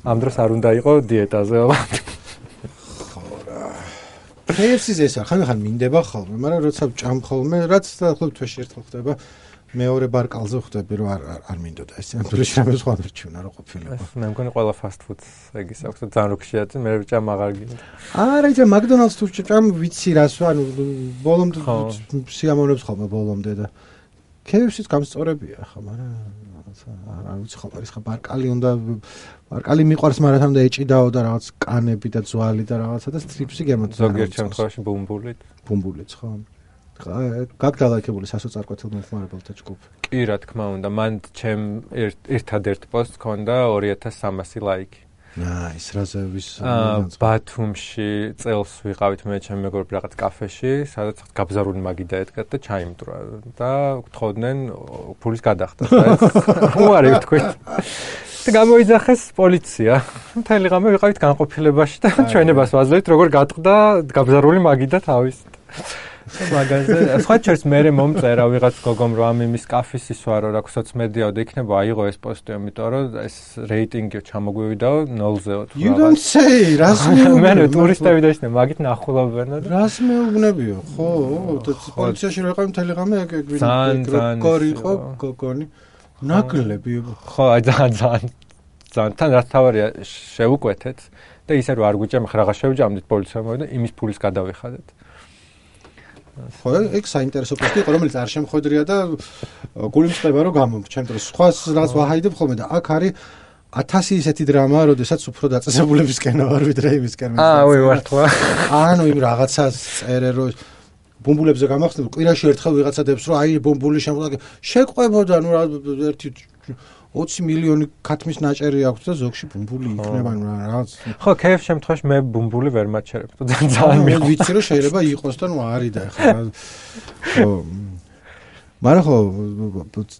ამ დროს არ უნდა იყო დიეტაზე კეი ეფ სის ეს ახლა ხან მინდება ხოლმე, მაგრამ როცა ჭამ ხოლმე, რაც ხოლმე თვეში ერთხელ ხდება, მეორე ბარკალზე ხვდები, რომ არ არ მინდოდა ეს. ამ დროს რამე სხვა რჩევნა რა ყოფილიყო. მე მგონი ყველა fast food-ს ეგის აქვს და ძალიან როქშიათი, მე ჭამ აღარ გინდა. არა, იცი McDonald's თუ ჭამ ვიცი რას, ანუ ბოლომდე სიამოვნებს ხოლმე ბოლომდე და კეი ეფ სის გამსწორებია ხა, მაგრამ არ ვიცი ხო არის ხა ბარკალი უნდა ბარკალი მიყვარს მაგრამ თან და ეჭიდაო და რაღაც კანები და ძვალი და რაღაცა და სტრიპსი გემოთ ზოგიერთ შემთხვევაში ბუმბულით ბუმბულიც ხო გაგდალაიქებული სასოწარკვეთილ მომხმარებელთა ჯგუფი კი რა თქმა უნდა მან ჩემ ერთადერთ პოსტს ქონდა ორი ათას სამასი ლაიკი ნაის რაზე ვის ბათუმში წელს ვიყავით მე ჩემ მეგობრები რაღაც კაფეში სადაც გაბზარული მაგიდა ედგათ და ჩაიმტრა და გთხოვდნენ ფულის გადახდას უარი ვთქვით და გამოიძახეს პოლიცია მთელი ღამე ვიყავით განყოფილებაში და ჩვენებას ვაძლევთ როგორ გატყდა გაბზარული მაგიდა თავისით მაგაზე სხვა ჩერს მე მომწერა ვიღაც გოგომ რომ ამ იმის კაფის ისვარო რა სოციმედიაო და იქნება აიღო ეს პოსტი ამიტომ რომ ეს რეიტინგი ჩამოგვივიდაო ნოლზეო თუ You don't say რას მე ტურისტები დაიშნე მაგით ნახულობენ და რას მეუბნებიო ხო და პოლიციაში რო ვიყავი მთელი ღამე ეგ როგორ იყო გოგონი ნაკლები ხო ძალიან ძალიან ძალიან თან რა თავარია შევუკვეთეთ და ისე რომ არ გვიჭამ ხარ აღარ შევჯამდით პოლიციამ და იმის ფულის გადავიხადეთ ხო ეგ საინტერესო პოსტი იყო რომელიც არ შემხვედრია და გული მწყება რომ გამომჩ ჩემ დროს სხვას რას ვაჰაიდებ ხოლმე და აქ არის ათასი ისეთი დრამა როდესაც უფრო დაწესებულებისკენ ვარ ვიდრე იმისკენ აა ვი ვართლა ანუ იმ რაღაცას წერე რომ ბუმბულებზე გამახსნებ კვირაში ერთხელ ვიღაცა დებს რომ აი ბუმბული შემოდგა შეყვებოდა ნუ ერთი ოცი მილიონი ქათმის ნაჭერი აქვს და ზოგში ბუმბული იქნება ნუ რაღაც ხო კეი ეფ შემთხვევაში მე ბუმბული ვერ მაჩერებ ძალიან მე ვიცი რომ შეიძლება იყოს და ნუ არის და ეხლა ხო მაგრამ ხო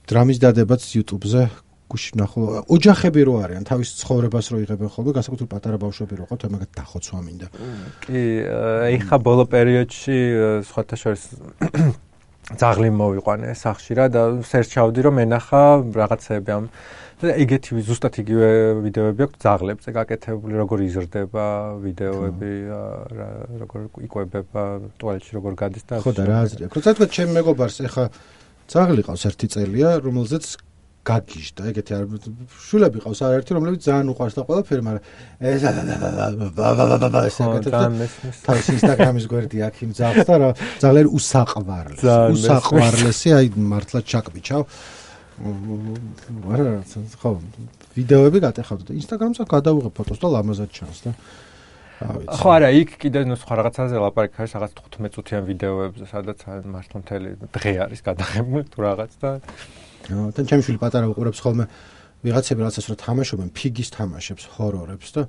დრამის დადებაც YouTube-ზე გუში ნახო ოჯახები რო არიან თავის ცხოვრებას რო იღებენ ხოლმე განსაკუთრებით პატარა ბავშვები რო ყავთ მაგათ დახოცვა მინდა კი ეხა ბოლო პერიოდში სხვათა შორის ძაღლი მოვიყვანე სახში რა და სერჩავდი რომ ენახა რაღაცები ამ და ეგეთი ზუსტად იგივე ვიდეოები აქვს ძაღლებზე გაკეთებული როგორ იზრდება ვიდეოები როგორ იკვებება ტუალეტში როგორ გადის და ხო და რა აზრი აქვს როცა თქვა ჩემ მეგობარს ეხა ძაღლი ყავს ერთი წელია რომელზეც გაგიჟდა ეგეთი არ შულები ყავს არაერთი რომლებიც ძალიან უყვარს და ყველაფერი მაგრამ ეს ეს თავის ინსტაგრამის გვერდი აქვს იმ ძაღლს და რა ძაღლი უსაყვარლესი უსაყვარლესი აი მართლა ჩაკბიჩავ არა ხო ვიდეოები გატეხავდა და ინსტაგრამზე გადავიღე ფოტოს და ლამაზად ჩანს და ხო არა იქ კიდე ნუ სხვა რაღაცაზე ლაპარაკი არის რაღაც თხუთმეტ წუთიან ვიდეოებზე სადაც მართლა მთელი დღე არის გადაღებული თუ რაღაც და თან ჩემშვილი პატარა უყურებს ხოლმე ვიღაცები რაღაცას რა თამაშობენ ფიგის თამაშებს ჰორორებს და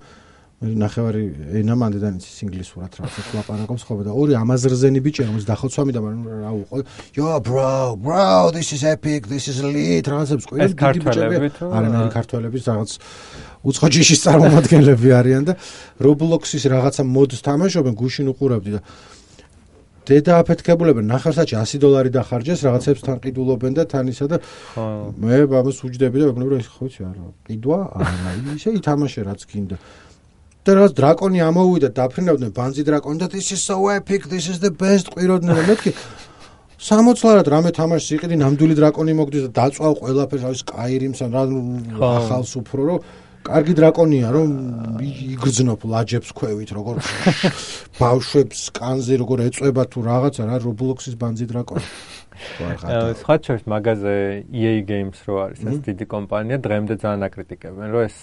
მე ნახევარი ენა მანდიდან იცის ინგლისურად რაღაცა ლაპარაკობს ხოლმე და ორი ამაზრზენი ბიჭი რომელიც დახოცვამი და რა უყო yo bro bro this is epic this is lit რაღაცებს ყვირენ დიდი ბიჭები არანაირი ქართველების რაღაც უცხო ჯიშის წარმომადგენლები არიან და Roblox-ის რაღაცა მოდს თამაშობენ გუშინ უყურებდი და დედა აფეთქებულებენ ნახევარსაათში ასი დოლარი დახარჯეს რაღაცებს თან ყიდულობენ და თან ისა და მე ბაბას უჯდები და მეგობრებო ის ხო იცი არა ყიდვა არა ისე ითამაშე რაც გინდა და რაღაც დრაკონი ამოვიდა დაფრინავდნენ ბანძი დრაკონი და this is so epic this is the best ყვიროდნენ და მეთქი სამოცლარად რამე თამაშს იყიდი ნამდვილი დრაკონი მოგდის და დაწვავ ყველაფერს არის Skyrim-ს რა ახალს უფრო რომ კარგი დრაკონია რომ იგრძნობ ლაჯებს ქვევით როგორ ბავშვებს კანზე როგორ ეწובה თუ რაღაცა რა Roblox-ის ბანძი დრაკონი სხვა შორის მაგაზე E A Games რო არის ეს დიდი კომპანია დღემდე ძალიან აკრიტიკებენ რომ ეს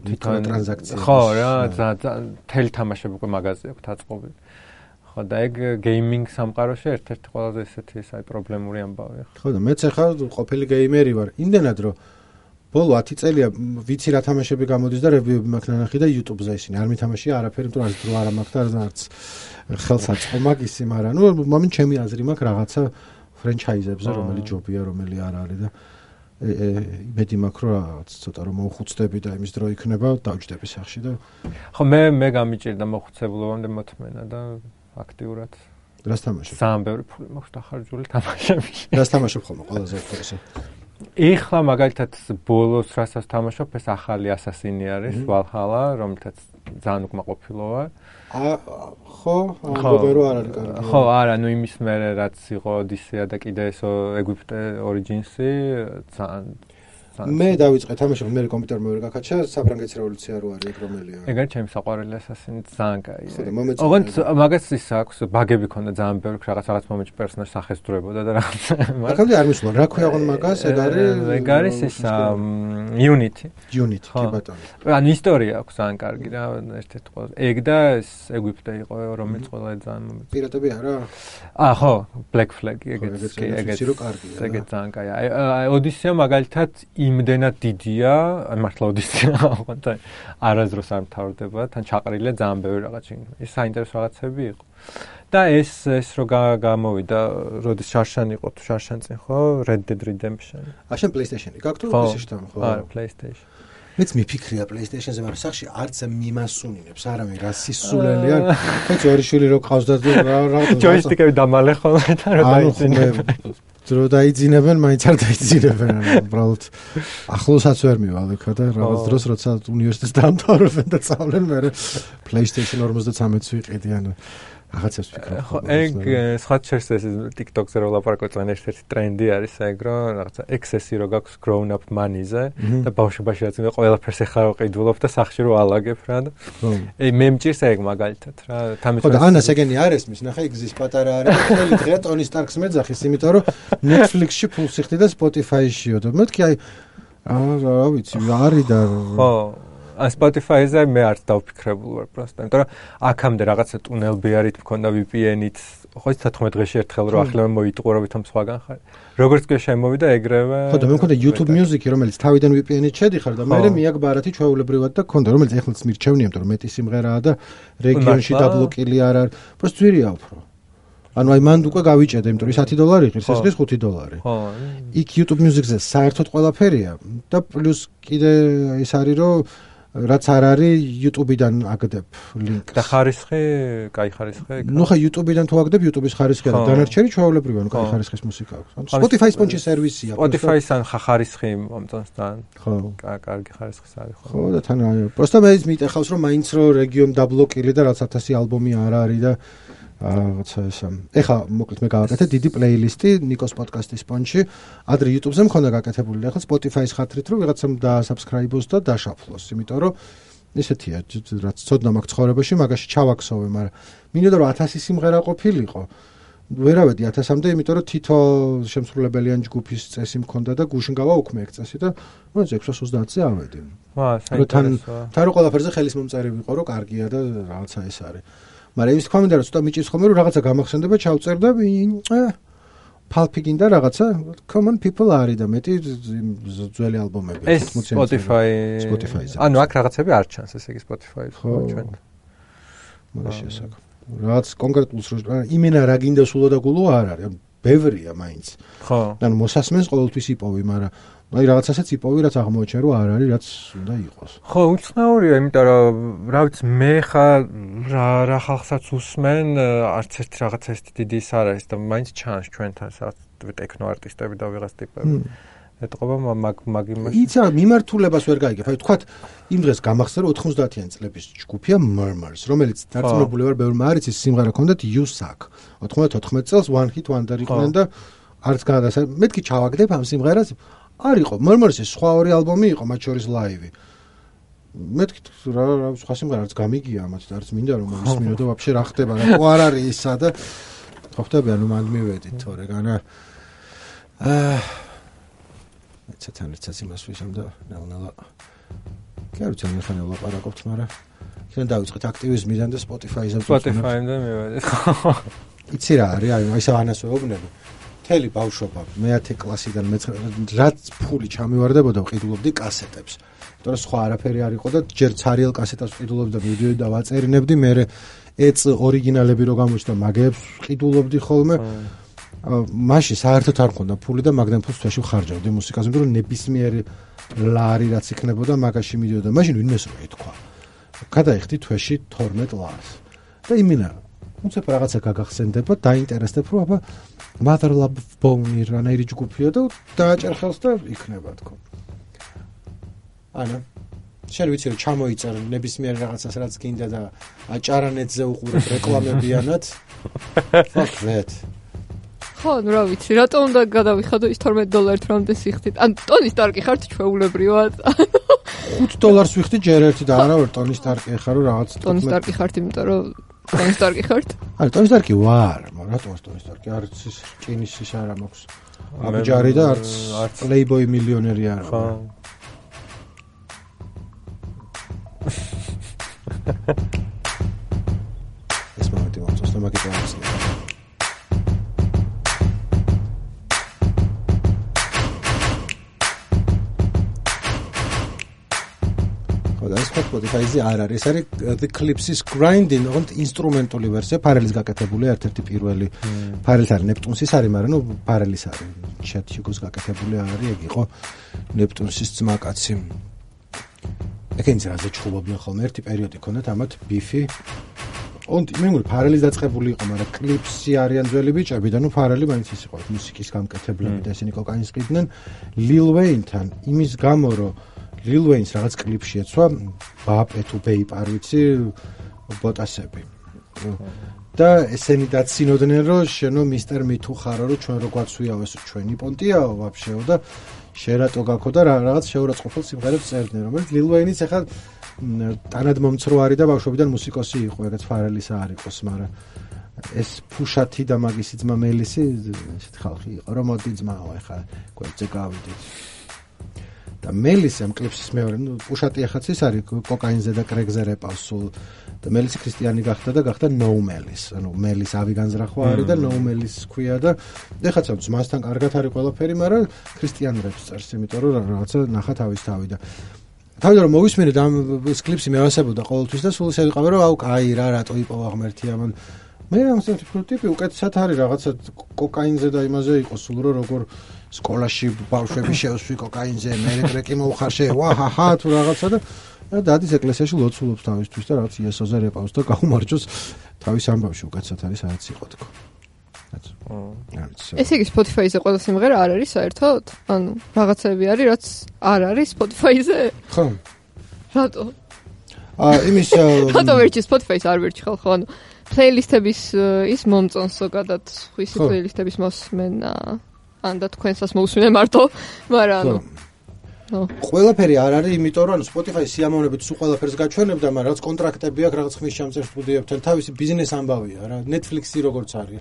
თვითონ ტრანზაქცია ხო რა თელი თამაშები უკვე მაგაზე აქვს დაწყობილი ხო და ეგ გეიმინგ სამყაროში ერთ-ერთი ყველაზე ესეთი ეს აი პრობლემური ამბავია ხო და მეც ახლა ყოფილი გეიმერი ვარ იმდენად რომ ბოლო ათი წელია ვიცი რა თამაშები გამოდის და რევიუები მაქვს ნანახი და YouTube-ზე ისინი არ მითამაშია არაფერი თუ არც დრო არ მაქვს და არც ხელს აწყო მაგისი მაგრამ ნუ მომენ ჩემი აზრი მაქვს რაღაცა ფრენჩაიზებზე რომელი ჯობია რომელი არ არის და იმედი მაქვს რომ რაღაც ცოტა რომ მოხუცდები და იმის დრო იქნება დავჯდები სახში და ხო მე მე გამიჭირდა მოხუცებულობამდე მოთმენა და აქტიურად რას თამაშობ? ძალიან ბევრი ფული მაქვს დახარჯული თამაშებში. რას თამაშობ ხოლმე ყველაზე უფრო? ეხლა მაგალითად ბოლოს რასაც თამაშობ ეს ახალი ასასინი არის ვალჰალა რომელთაც ძალიან უკმაყოფილო ვარ. აა ხო, ამბობენ რომ არ არის კარგი. ხო, არა, ნუ იმის მერე რაც იყო ოდისეა და კიდე ეს ეგვიპტე ორიჯინსი ძალიან მე დავიწყე თამაშობ მე კომპიუტერმა ვერ გაკაჩა საფრანგეთის რევოლუცია რო არის ეგ რომელია. ეგ არის ჩემი საყვარელი ასასინი ძალიან კაია. ხო და მომეწონა. ოღონდ მაგას ის აქვს ბაგები ქონდა ძალიან ბევრი რაღაც რაღაც მომენტში პერსონაჟი სახეს დროებოდა და რაღაც. მაგამდე არ მისულა რა ქვია აღონ მაგას ეგ არის ეგ არის ის Unity. Unity კი ბატონო. ანუ ისტორია აქვს ძალიან კარგი რა ერთ-ერთი ყველა. ეგ და ეს ეგვიპტე იყო რომელიც ყველა ძალიან მომეწონა. პირატები არა? აა ხო, Black Flag ეგეც კი ეგეც. ეგეც ძალიან კაია. აი ოდისეა მაგალითად იმდენად დიდია, აი მართლა ოდისეა აღვანთ არაზროს არ მთავრდება, თან ჩაყრილია ძალიან ბევრი რაღაცა. ის საინტერესო რაღაცები იყო. და ეს ეს რო გამოვიდა, როდის შარშან იყო თუ შარშან წინ ხო, Red Dead Redemption. აა შენ PlayStation-ი გაქვს თუ PlayStation-ი ხო? არა, PlayStation. მეც მიფიქრია PlayStation-ზე, მაგრამ სახში არც მიმასუნინებს, არამე რა სისულელი არ. ხოც ორი შვილი რო ყავს და რა რა ჯოისტიკები დამალე ხოლმე და რა დაიძინებენ. დრო დაიძინებენ, მაინც არ დაიძინებენ, ანუ უბრალოდ ახლოსაც ვერ მივალ იქა და რაღაც დროს როცა უნივერსიტეტს დამთავრებენ და წავლენ, მე PlayStation ორმოცდამეც ვიყიდი, ანუ რაღაცებს ვფიქრობ. ხო, ეგ სხვა შეს ეს TikTok-ზე რო ლაპარაკობ, ძალიან ერთ-ერთი ტრენდი არის ეგ, რომ რაღაცა excess-ი რო გაქვს grown up money-ზე და ბავშვობაში რაც მე ყველაფერს ეხლა რო ყიდულობ და სახში რო ალაგებ რა და ე მე მჭირს ეგ მაგალითად რა თამის ხო და ანას ეგენი არ ესმის, ნახე ეგ ზის პატარა არის და ხელი დღეა Tony Stark-ს მეძახის, იმიტომ რომ Netflix-ში ფულს იხდი და Spotify-შიო და მეთქი აი რა ვიცი, არის და ხო ა Spotify-ზე მე არც დავფიქრებული ვარ პროსტა, იმიტომ რომ აქამდე რაღაცა ტუნელბეარით მქონდა V P N-ით, ხო ის თოთხმეტ დღეში ერთხელ რო ახლა მოიტყურავით ამ სხვაგან ხარ. როგორც კი შემოვიდა ეგრევე. ხო და მე მქონდა YouTube Music-ი, რომელიც თავიდან V P N-ით შედიხარ და მე მიაკ ბარათი ჩვეულებრივად და მქონდა, რომელიც ეხლაც მირჩევნია, იმიტომ რომ მეტი სიმღერაა და რეგიონში დაბლოკილი არ არის. პროსტ ძვირია უფრო. ანუ აი მანდ უკვე გავიჭედე, იმიტომ რომ ის ათი დოლარი ღირს, ეს ღირს ხუთი დოლარი. ხო. იქ YouTube Music-ზე საერთოდ ყველაფერია და პლუს კიდე ის არის რომ რაც არ არის YouTube-დან აგდებ ლინკს. და ხარისხი, კაი ხარისხი. ნუ ხა YouTube-დან თუ აგდებ YouTube-ის ხარისხი და დანარჩენი ჩვეულებრივია, ნუ კაი ხარისხის მუსიკა აქვს. ანუ Spotify სპონჯი სერვისია. Spotify-სან ხარისხი მომწონს თან. ხო. კარგი ხარისხის არის ხო. ხო და თან აი, პროსტა მე ის მიტეხავს რომ მაინც რო რეგიონ დაბლოკილი და რაც ათასი ალბომი არ არის და რაღაცა ესა. ეხლა მოკლედ მე გავაკეთე დიდი პლეილისტი ნიკოს პოდკასტის სპონჯი. ადრე YouTube-ზე მქონდა გაკეთებული, ეხლა Spotify-ის ხათრით რომ ვიღაცამ დაასაბსკრაიბოს და დაშაფლოს, იმიტომ რომ ესეთია, რაც ცოდნა მაქვს ცხოვრებაში, მაგაში ჩავაქსოვე, მაგრამ მინდოდა რომ ათასი სიმღერა ყოფილიყო. ვერავედი ათასამდე, იმიტომ რომ თითო შემსრულებელიან ჯგუფის წესი მქონდა და გუშინ გავაუქმე ეგ წესი და მოიცა ექვსას ოცდაათზე ავედი. ვა, საინტერესოა. თან რო ყველაფერზე ხელის მომწერი ვიყო, რომ კარგია და რაღაცა ეს არის. მაგრამ ის თქვა მინდა რომ ცოტა მიჭირს ხოლმე რომ რაღაცა გამახსენდება, ჩავწერ და ფალფი გინდა რაღაცა common people არის და მეტი ძველი ალბომები ეს Spotify Spotify-ზე. ანუ აქ რაღაცები არ ჩანს, ესე იგი Spotify-ს ჩვენ. მაგაში ასაკ. რაც კონკრეტულს რო იმენა რა გინდა სულო და გულო არ არის. ბევრია მაინც. ხო. ანუ მოსასმენს ყოველთვის იპოვი, მაგრამ აი რაღაცასაც იპოვი, რაც აღმოაჩენ რომ არ არის, რაც უნდა იყოს. ხო, უცნაურია, იმიტომ რომ რა ვიცი, მე ხარ რა რა ხალხსაც უსმენ, არც ერთ რაღაცა ეს დიდი ის არ არის და მაინც ჩანს ჩვენთან სადაც ტექნო არტისტები და ვიღაც ტიპები. ეტყობა მაგ მაგ იმაში. იცი, მიმართულებას ვერ გაიგებ. აი თქვათ, იმ დღეს გამახსენე რომ ოთხმოცდაათიანი წლების ჯგუფია Murmurs, რომელიც დარწმუნებული ვარ, ბევრმა არ იცის, სიმღერა ჰქონდათ You Suck. ოთხმოცდაოთხმეტ წელს One Hit Wonder იყვნენ და არც გადასა. მეთქი ჩავაგდებ ამ სიმღერას. არ იყო Murmurs-ის სხვა ორი ალბომი იყო, მათ შორის ლაივი. მეთქი რა რა სხვა სიმღერა არც გამიგია ამათ და არც მინდა რომ მოვისმინო და ვაფშე რა ხდება რა ყო არ არის ისა და ხო ხდება ანუ მანდ მივედით თორე განა აა ეცეთან ეცაც იმას ვისამ და ნელ-ნელა კი არ ვიცი ხან ვლაპარაკობთ მაგრამ ჩვენ დავიწყეთ აქტივიზმიდან და Spotify-ზე Spotify-მდე მივედით იცი რა არის აი ისე ანასვეობნები მთელი ბავშვობა მეათე კლასიდან რაც ფული ჩამივარდებოდა ვყიდულობდი კასეტებს იმიტომ რომ სხვა არაფერი არ იყო და ჯერ ცარიელ კასეტას ვყიდულობდი და მივიდოდი და ვაწერინებდი მე ეც ორიგინალები რო გამოჩნდა მაგებს ვყიდულობდი ხოლმე მაშინ საერთოდ არ მქონდა ფული და მაგდან ფულს თვეში ვხარჯავდი მუსიკაზე იმიტომ რომ ნებისმიერი ლარი რაც იქნებოდა მაგაში მიდიოდა მაშინ ვინმეს რო ეთქვა გადაიხდი თვეში თორმეტ ლარს და იმენა უცებ რაღაცა გაგახსენდება დაინტერესდებ რომ აბა Mother Love Bone რანაირი ჯგუფია და დააჭერ ხელს და იქნება თქო ანა შენ ვიცი რომ ჩამოიწერ ნებისმიერ რაღაცას რაც გინდა და აჭარანეთზე უყურებ რეკლამებიანად fuck that ხო, ნუ რა ვიცი, რატომ უნდა გადავიხადო ის თორმეტ დოლარით რამდენ სიხდით? ან ტონი სტარკი ხართ ჩვეულებრივად? ხუთ დოლარს ვიხდი ჯერ ერთი და არა ვერ ტონი სტარკი ხარ რომ რაღაც ტონი სტარკი ხართ, იმიტომ რომ ტონი სტარკი ხართ? არა, ტონი სტარკი ვარ, მაგრამ რატომ ტონი სტარკი? არც ის ჭინის ის არ მაქვს. აბჯარი და არც პლეიბოი მილიონერი არა. ხო. ეს მომენტი მომწონს და მაგით ვამცნე. Spotify-ზე არ არის, არის The Clips-ის Grinding, ოღონდ ინსტრუმენტული ვერსია, ფარელის გაკეთებული ერთ-ერთი პირველი. ფარელს არის ნეპტუნსის არის, მაგრამ ნუ ფარელის არის. Chat Hugo-ს გაკეთებული არის, ეგ იყო ნეპტუნსის ძმაკაცი. ეკენც რაზე ჩხუბობდნენ ხოლმე, ერთი პერიოდი ქონდათ ამათ ბიფი. ოღონდ მე მგონი ფარელის დაწყებული იყო, მაგრამ Clips-ი არიან ძველი ბიჭები და ნუ ფარელი მაინც ის იყო მუსიკის გამკეთებლები და ისინი კოკაინს ყიდნენ Lil Wayne-თან, იმის გამო რომ Lil Wayne-ს რაღაც კლიპში ეცვა ბაპე თუ ბეიპ არ ვიცი ბოტასები. და ესენი დაცინოდნენ რომ შენო მისტერ მითუ ხარო რომ ჩვენ რო გვაცვიაო ეს ჩვენი პონტიაო ვაფშეო და შერატო გაქო და რაღაც შეურაცხყოფილ სიმღერებს წერდნენ რომელიც Lil Wayne-იც ახლა ტანად მომცრო არის და ბავშვობიდან მუსიკოსი იყო ეგეც ფარელის არ იყოს მაგრამ ეს ფუშათი და მაგისი ძმა მელისი ესეთ ხალხი იყო რომ მოდი ძმაო ახლა გვერდზე გავიდით და მელისი ამ კლიპსის მეორე ნუ პუშატი ახაც ის არის კოკაინზე და კრეგზე რეპავს სულ და მელისი ქრისტიანი გახდა და გახდა No Melis ანუ მელის ავი განზრახვა არის და No Melis ქვია და ეხაც ამ ძმასთან კარგად არის ყველაფერი მაგრამ ქრისტიან რეპს წერს იმიტომ რომ რაღაცა ნახა თავის თავი და თავი რომ მოვისმენე და ამ კლიპსი მევასებოდა ყოველთვის და სულ ისე ვიყავი რომ აუ კაი რა რატო იპოვა ღმერთი ამან მე ამ სტიპი ტიპი უკეთესად არის რაღაცა კოკაინზე და იმაზე იყო სულ რომ როგორ სკოლაში ბავშვები შევსვი კოკაინზე მე ტრეკი მოუხარშე ვაჰაჰა თუ რაღაცა და დადის ეკლესიაში ლოცულობს თავისთვის და რაღაც იესოზე რეპავს და გაუმარჯოს თავის ამბავში უკეთესად არის რაც იყო თქო ეს იგი Spotify-ზე ყველა სიმღერა არ არის საერთოდ? ანუ რაღაცები არის რაც არ არის Spotify-ზე? ხო რატო? აა იმის რატო ვერჩი Spotify-ს არ ვერჩი ხალხო ანუ პლეილისტების ის მომწონს ზოგადად ხვისი პლეილისტების მოსმენა ან და თქვენსაც მოусმინე მარტო მაგრამ ანუ ნო ყველაფერი არ არის იმიტომ რომ ანუ Spotify სიამოვნებით სულ ყველაფერს გაჩვენებდა მაგრამ რაღაც კონტრაქტები აქვს რაღაც ხმის ჩამწერ სტუდიებთან თავისი ბიზნეს ამბავია რა Netflix-ი როგორც არის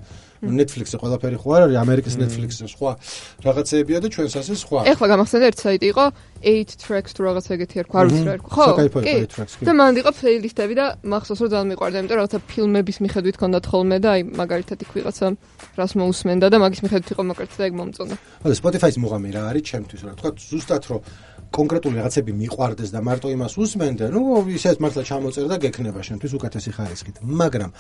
Netflix-ი ყველაფერი ხო არ არის ამერიკის Netflix-ი სხვა რაღაცეებია და ჩვენს ასე სხვა ეხლა გამახსენდა ერთ საიტი იყო eight tracks თუ რაღაც ეგეთი არ გვარს რა ერქვა. ხო, კი. და მანდ იყო პლეილისტები და მახსოვს რომ ძალიან მიყვარდა, იმიტომ რომ რაღაცა ფილმების მიხედვით ჰქონდათ ხოლმე და აი მაგალითად იქ ვიღაცა რას მოусმენდა და მაგის მიხედვით იყო მაგალითად ეგ მომწონდა. ხო, Spotify-ის მუღამი რა არის ჩემთვის რა თქვა ზუსტად რომ კონკრეტული რაღაცები მიყვარდეს და მარტო იმას უსმენდე, ნუ ისეთ მართლა ჩამოწერ და გექნება შენთვის უკეთესი ხარისხით. მაგრამ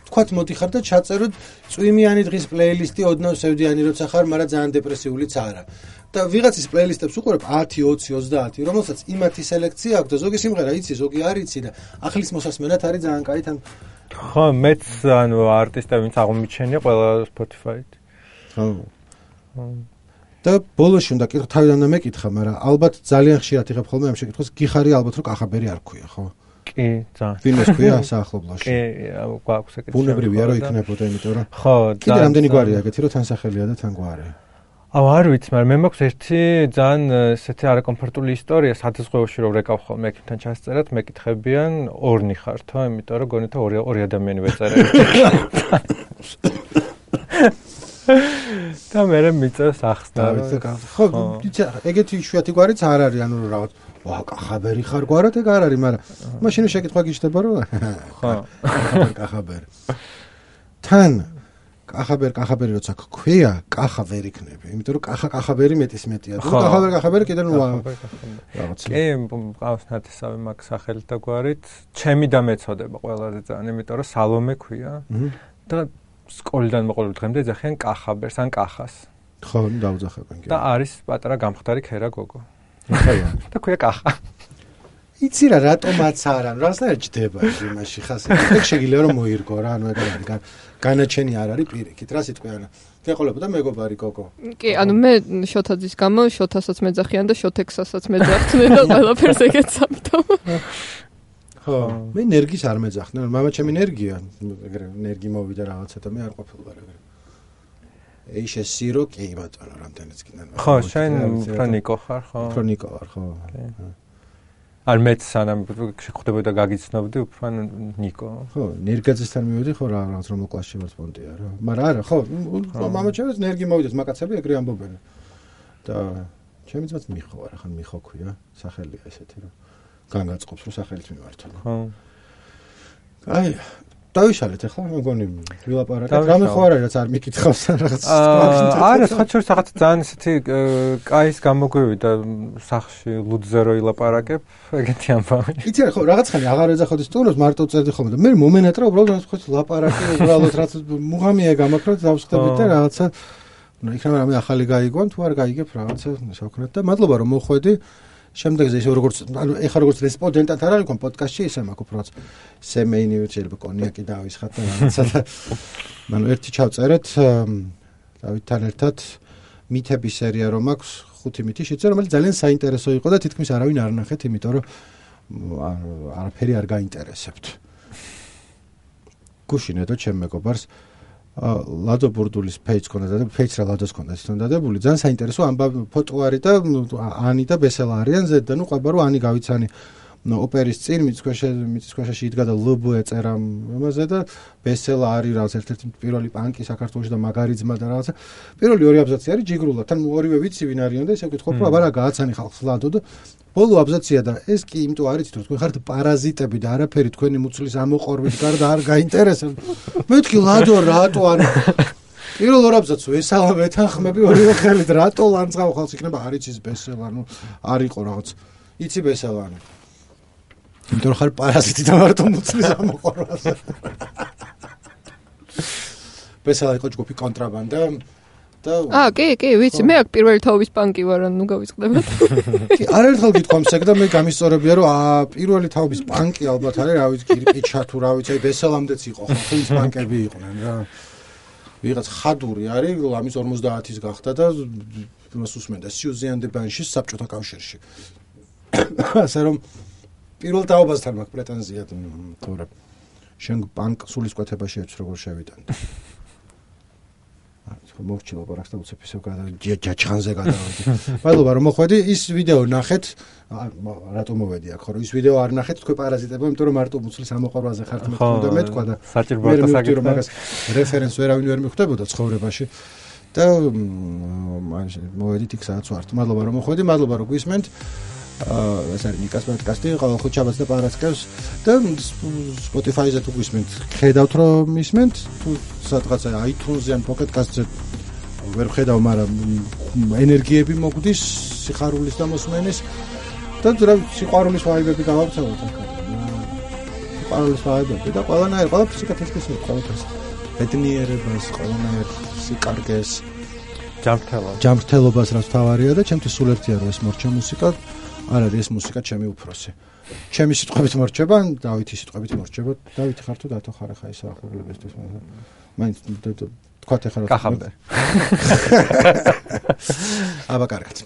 თქვათ მოდიხარ და ჩაწეროთ წვიმიანი დღის პლეილისტი ოდნავ სევდიანი როცა ხარ, მაგრამ ძალიან დეპრესიულიც არა. და ვიღაცის პლეილისტებს უყურებ ათი, ოცი, ოცდაათი, რომელსაც იმათი სელექცია აქვს და ზოგი სიმღერა იცი, ზოგი არ იცი და ახლის მოსასმენად არის ძალიან კაი თან. ხო, მეც ანუ არტისტები ვინც აღმოჩენია ყველა Spotify-ით. ხო. და ბოლოში უნდა კითხო თავიდან და მეკითხა, მაგრამ ალბათ ძალიან ხშირად იღებ ხოლმე ამ შეკითხვას, გიხარი ალბათ რომ კახაბერი არ ქვია, ხო? კი, ძალიან. ვინმეს ქვია საახლობლოში? კი, გვაქვს ეგეთი. ბუნებრივია რომ იქნებოდა, იმიტომ რომ ხო, კიდე რამდენი გვარია ეგეთი, რომ თან სახელია და თან გვარი. აუ არ ვიცი, მაგრამ მე მაქვს ერთი ძალიან ესეთი არაკომფორტული ისტორია, სადაზღვევოში რომ რეკავ ხოლმე ექიმთან ჩასწერად, მეკითხებიან ორნი ხართო, იმიტომ რომ გონითა ორი ორი ადამიანი ვეწერე. და მე მეწევს ახსნა. ხო, ეგეთი იშვიათი გვარიც არ არის, ანუ რაღაც ვა, კახაბერი ხარ გვარად ეგ არ არის, მაგრამ მაშინ შეკითხვა გიჩნდება რომ ხო, კახაბერი. თან კახაბერი, კახაბერი როცა გქვია, კახა ვერ იქნება, იმიტომ რომ კახა კახაბერი მეტის მეტია. თუ კახაბერი, კახაბერი კიდე ნუ რაღაც. კი, ყავს ნათესავი მაგ სახელით და გვარით, ჩემი და მეწოდება ყველაზე ძალიან, იმიტომ რომ სალომე ქვია. და სკოლიდან მოყოლებით დღემდე ეძახიან კახაბერს ან კახას. ხო, დავძახებენ კი. და არის პატარა გამხდარი ქერა გოგო. ხაია. და ქვია კახა. იცი რა, რატომაც არა, რაღაცნაირად ჯდება იმაში ხასი. ეგ შეგიძლია რომ მოირგო რა, ანუ ეგ არის განაჩენი არ არის პირიქით, რა სიტყვი არა. გეყოლებოდა მეგობარი გოგო. კი, ანუ მე შოთაძის გამო შოთასაც მეძახიან და შოთექსასაც მეძახდნენ და ყველაფერს ეგეც ამიტომ. ხო, მე ენერგის არ მეძახდნენ, მამა ჩემი ენერგია, ეგრე ენერგი მოვიდა რაღაცა და მე არ ყოფილვარ ეგრე. ეი შესირო კი ბატონო, რამდენიც კიდენ. ხო, შენ ფრონიკო ხარ, ხო? ფრონიკო ვარ, ხო. არ მეც სანამ შეხვდებოდა გაგიცნობდი, უფრო ნიკო. ხო, ნერგაძესთან მივედი, ხო რა, რაღაც რომელ კლასში ვარ სპონტია რა. მაგრამ არა, ხო, მამა ჩემს ენერგი მოვიდეს, მაკაცები ეგრე ამბობენ. და ჩემი ძმაც მიხო არა, ხან მიხო ქვია, სახელია ესეთი რა. განგაწყობს რომ სახელით მიმართო. ხო. აი, დავიშალეთ ახლა, მეგონი ვილაპარაკეთ. რამე ხო არა, რაც არ მიკითხავს რაღაც. არა, საერთოდ რაღაც ძალიან ესეთი კაის გამოგვივიდა სახში ლუდზე რო ილაპარაკებ, ეგეთი ამბავი. იცი რა, ხო, რაღაცხანი აღარ ეძახოდი სტუმრებს, მარტო წერდი ხოლმე და მე მომენატრა უბრალოდ ხო ლაპარაკი, უბრალოდ რაც მუღამია გამაქროთ, დავსხდებით და რაღაცა ნუ იქნება რამე ახალი გაიგონ, თუ არ გაიგებ რაღაცა შევქნათ და მადლობა რომ მოხვედი. შემდეგზე ისე როგორც ანუ ეხა როგორც რესპონდენტად არ არის პოდკასტში ისე მაქვს უბრალოდ სემეინი შეიძლება კონიაკი დავისხათ და რაღაცა და ანუ ერთი ჩავწერეთ დავითთან ერთად მითების სერია რომ აქვს ხუთი მითი შეწერ რომელიც ძალიან საინტერესო იყო და თითქმის არავინ არ ნახეთ იმიტომ რომ არაფერი არ გაინტერესებთ გუშინედო ჩემ მეგობარს ლადო ბურდულის ფეიჯს ქონდა და ფეიჯს რა ლადოს ქონდა თვითონ დადებული ძალიან საინტერესო ამბავ ფოტო არის და ანი და ბესელა არიან ზედ და ნუ ყვება რომ ანი გავიცანი ოპერის წინ მიწქვეშა მიწქვეშაში იდგა და ლბ ეწერა ამაზე და ბესელა არის რაღაც ერთ-ერთი პირველი პანკი საქართველოში და მაგარი ძმა და რაღაცა პირველი ორი აბზაცი არის ჯიგრულა თან ორივე ვიცი ვინ არიან და ისე ვკითხობ რომ აბა რა გააცანი ხალხს ლადო და ბოლო აბზაცია და ეს კი იმიტომ არ იცით რომ თქვენ ხართ პარაზიტები და არაფერი თქვენი მუცლის ამოყორვით გარდა არ გაინტერესებს მეთქი ლადო რატო ანუ პირველ ორ აბზაცს ვესალა მეთანხმები ორივე ხელით რატო ლანძღავ ხალხს იქნება არ იცის ბესელა ანუ არ იყო რაღაც იცი ბესელა ანუ იმიტომ რომ ხარ პარაზიტი და მარტო მუცლის ამოყორვაზე ბესელა იყო ჯგუფი კონტრაბანდა აა კი კი ვიცი მე აქ პირველი თაობის პანკი ვარ ან ნუ გავიწყდებათ კი არაერთხელ გითხოვს ეგ და მე გამისწორებია რომ აა პირველი თაობის პანკი ალბათ არის რა ვიცი კირპიჩა თუ რა ვიცი აი ბესელამდეც იყო ხო ის პანკები იყვნენ რა ვიღაც ხადური არის ლამის ორმოცდაათის გახდა და იმას უსმენდა სიუზიან დი ბანშის საბჭოთა კავშირში ასე რომ პირველ თაობასთან მაქვს პრეტენზია თორე შენ პანკ სულისკვეთებაში ეც როგორ შევიტან მოვჩილო პარაკს და უცებ ისევ ჯაჭხანზე გადავედი. მადლობა რომ მოხვედი. ის ვიდეო ნახეთ. რატომ მოვედი აქ, ხო, ის ვიდეო არ ნახეთ თქვენ პარაზიტებო, იმიტომ რომ მარტო მუცლის ამოყარვაზე ხართ მე თქო და მეთქვა და საჭიროა საკითხი რომ მაგას რეფერენს ვერავინ ვერ მიხვდებოდა ცხოვრებაში. და მოვედით იქ სადაც ვართ. მადლობა რომ მოხვედი, მადლობა რომ გვისმენთ. აა ეს არის ნიკას პოდკასტი, ყოველ ხუთშაბათს და პარასკევს და Spotify-ზე თუ გვისმენთ, ხედავთ რომ ისმენთ, თუ სადღაცა iTunes-ზე ან Pocket Cast-ზე ვერ ხედავ, მაგრამ ენერგიები მოგვდის, სიხარულის და მოსმენის და რა სიყვარულის ვაიბები გავავრცელოთ ახლა. სიყვარულის ვაიბები და ყველანაირ ყველაფერს იკეთებს ყველაფერს. ბედნიერებას, ყველანაირ სიკარგეს, ჯანმრთელობას. ჯანმრთელობას რაც თავარია და ჩემთვის სულ ერთია რომ ეს მორჩა მუსიკა, არ არის ეს მუსიკა ჩემი უფროსი. ჩემი სიტყვებით მორჩება, დავითის სიტყვებით მორჩება. დავითი ხარ თუ დათო ხარ ხა ისა ახურებისთვის. მაინც თქვათ ახლა კახამდე. აბა კარგად.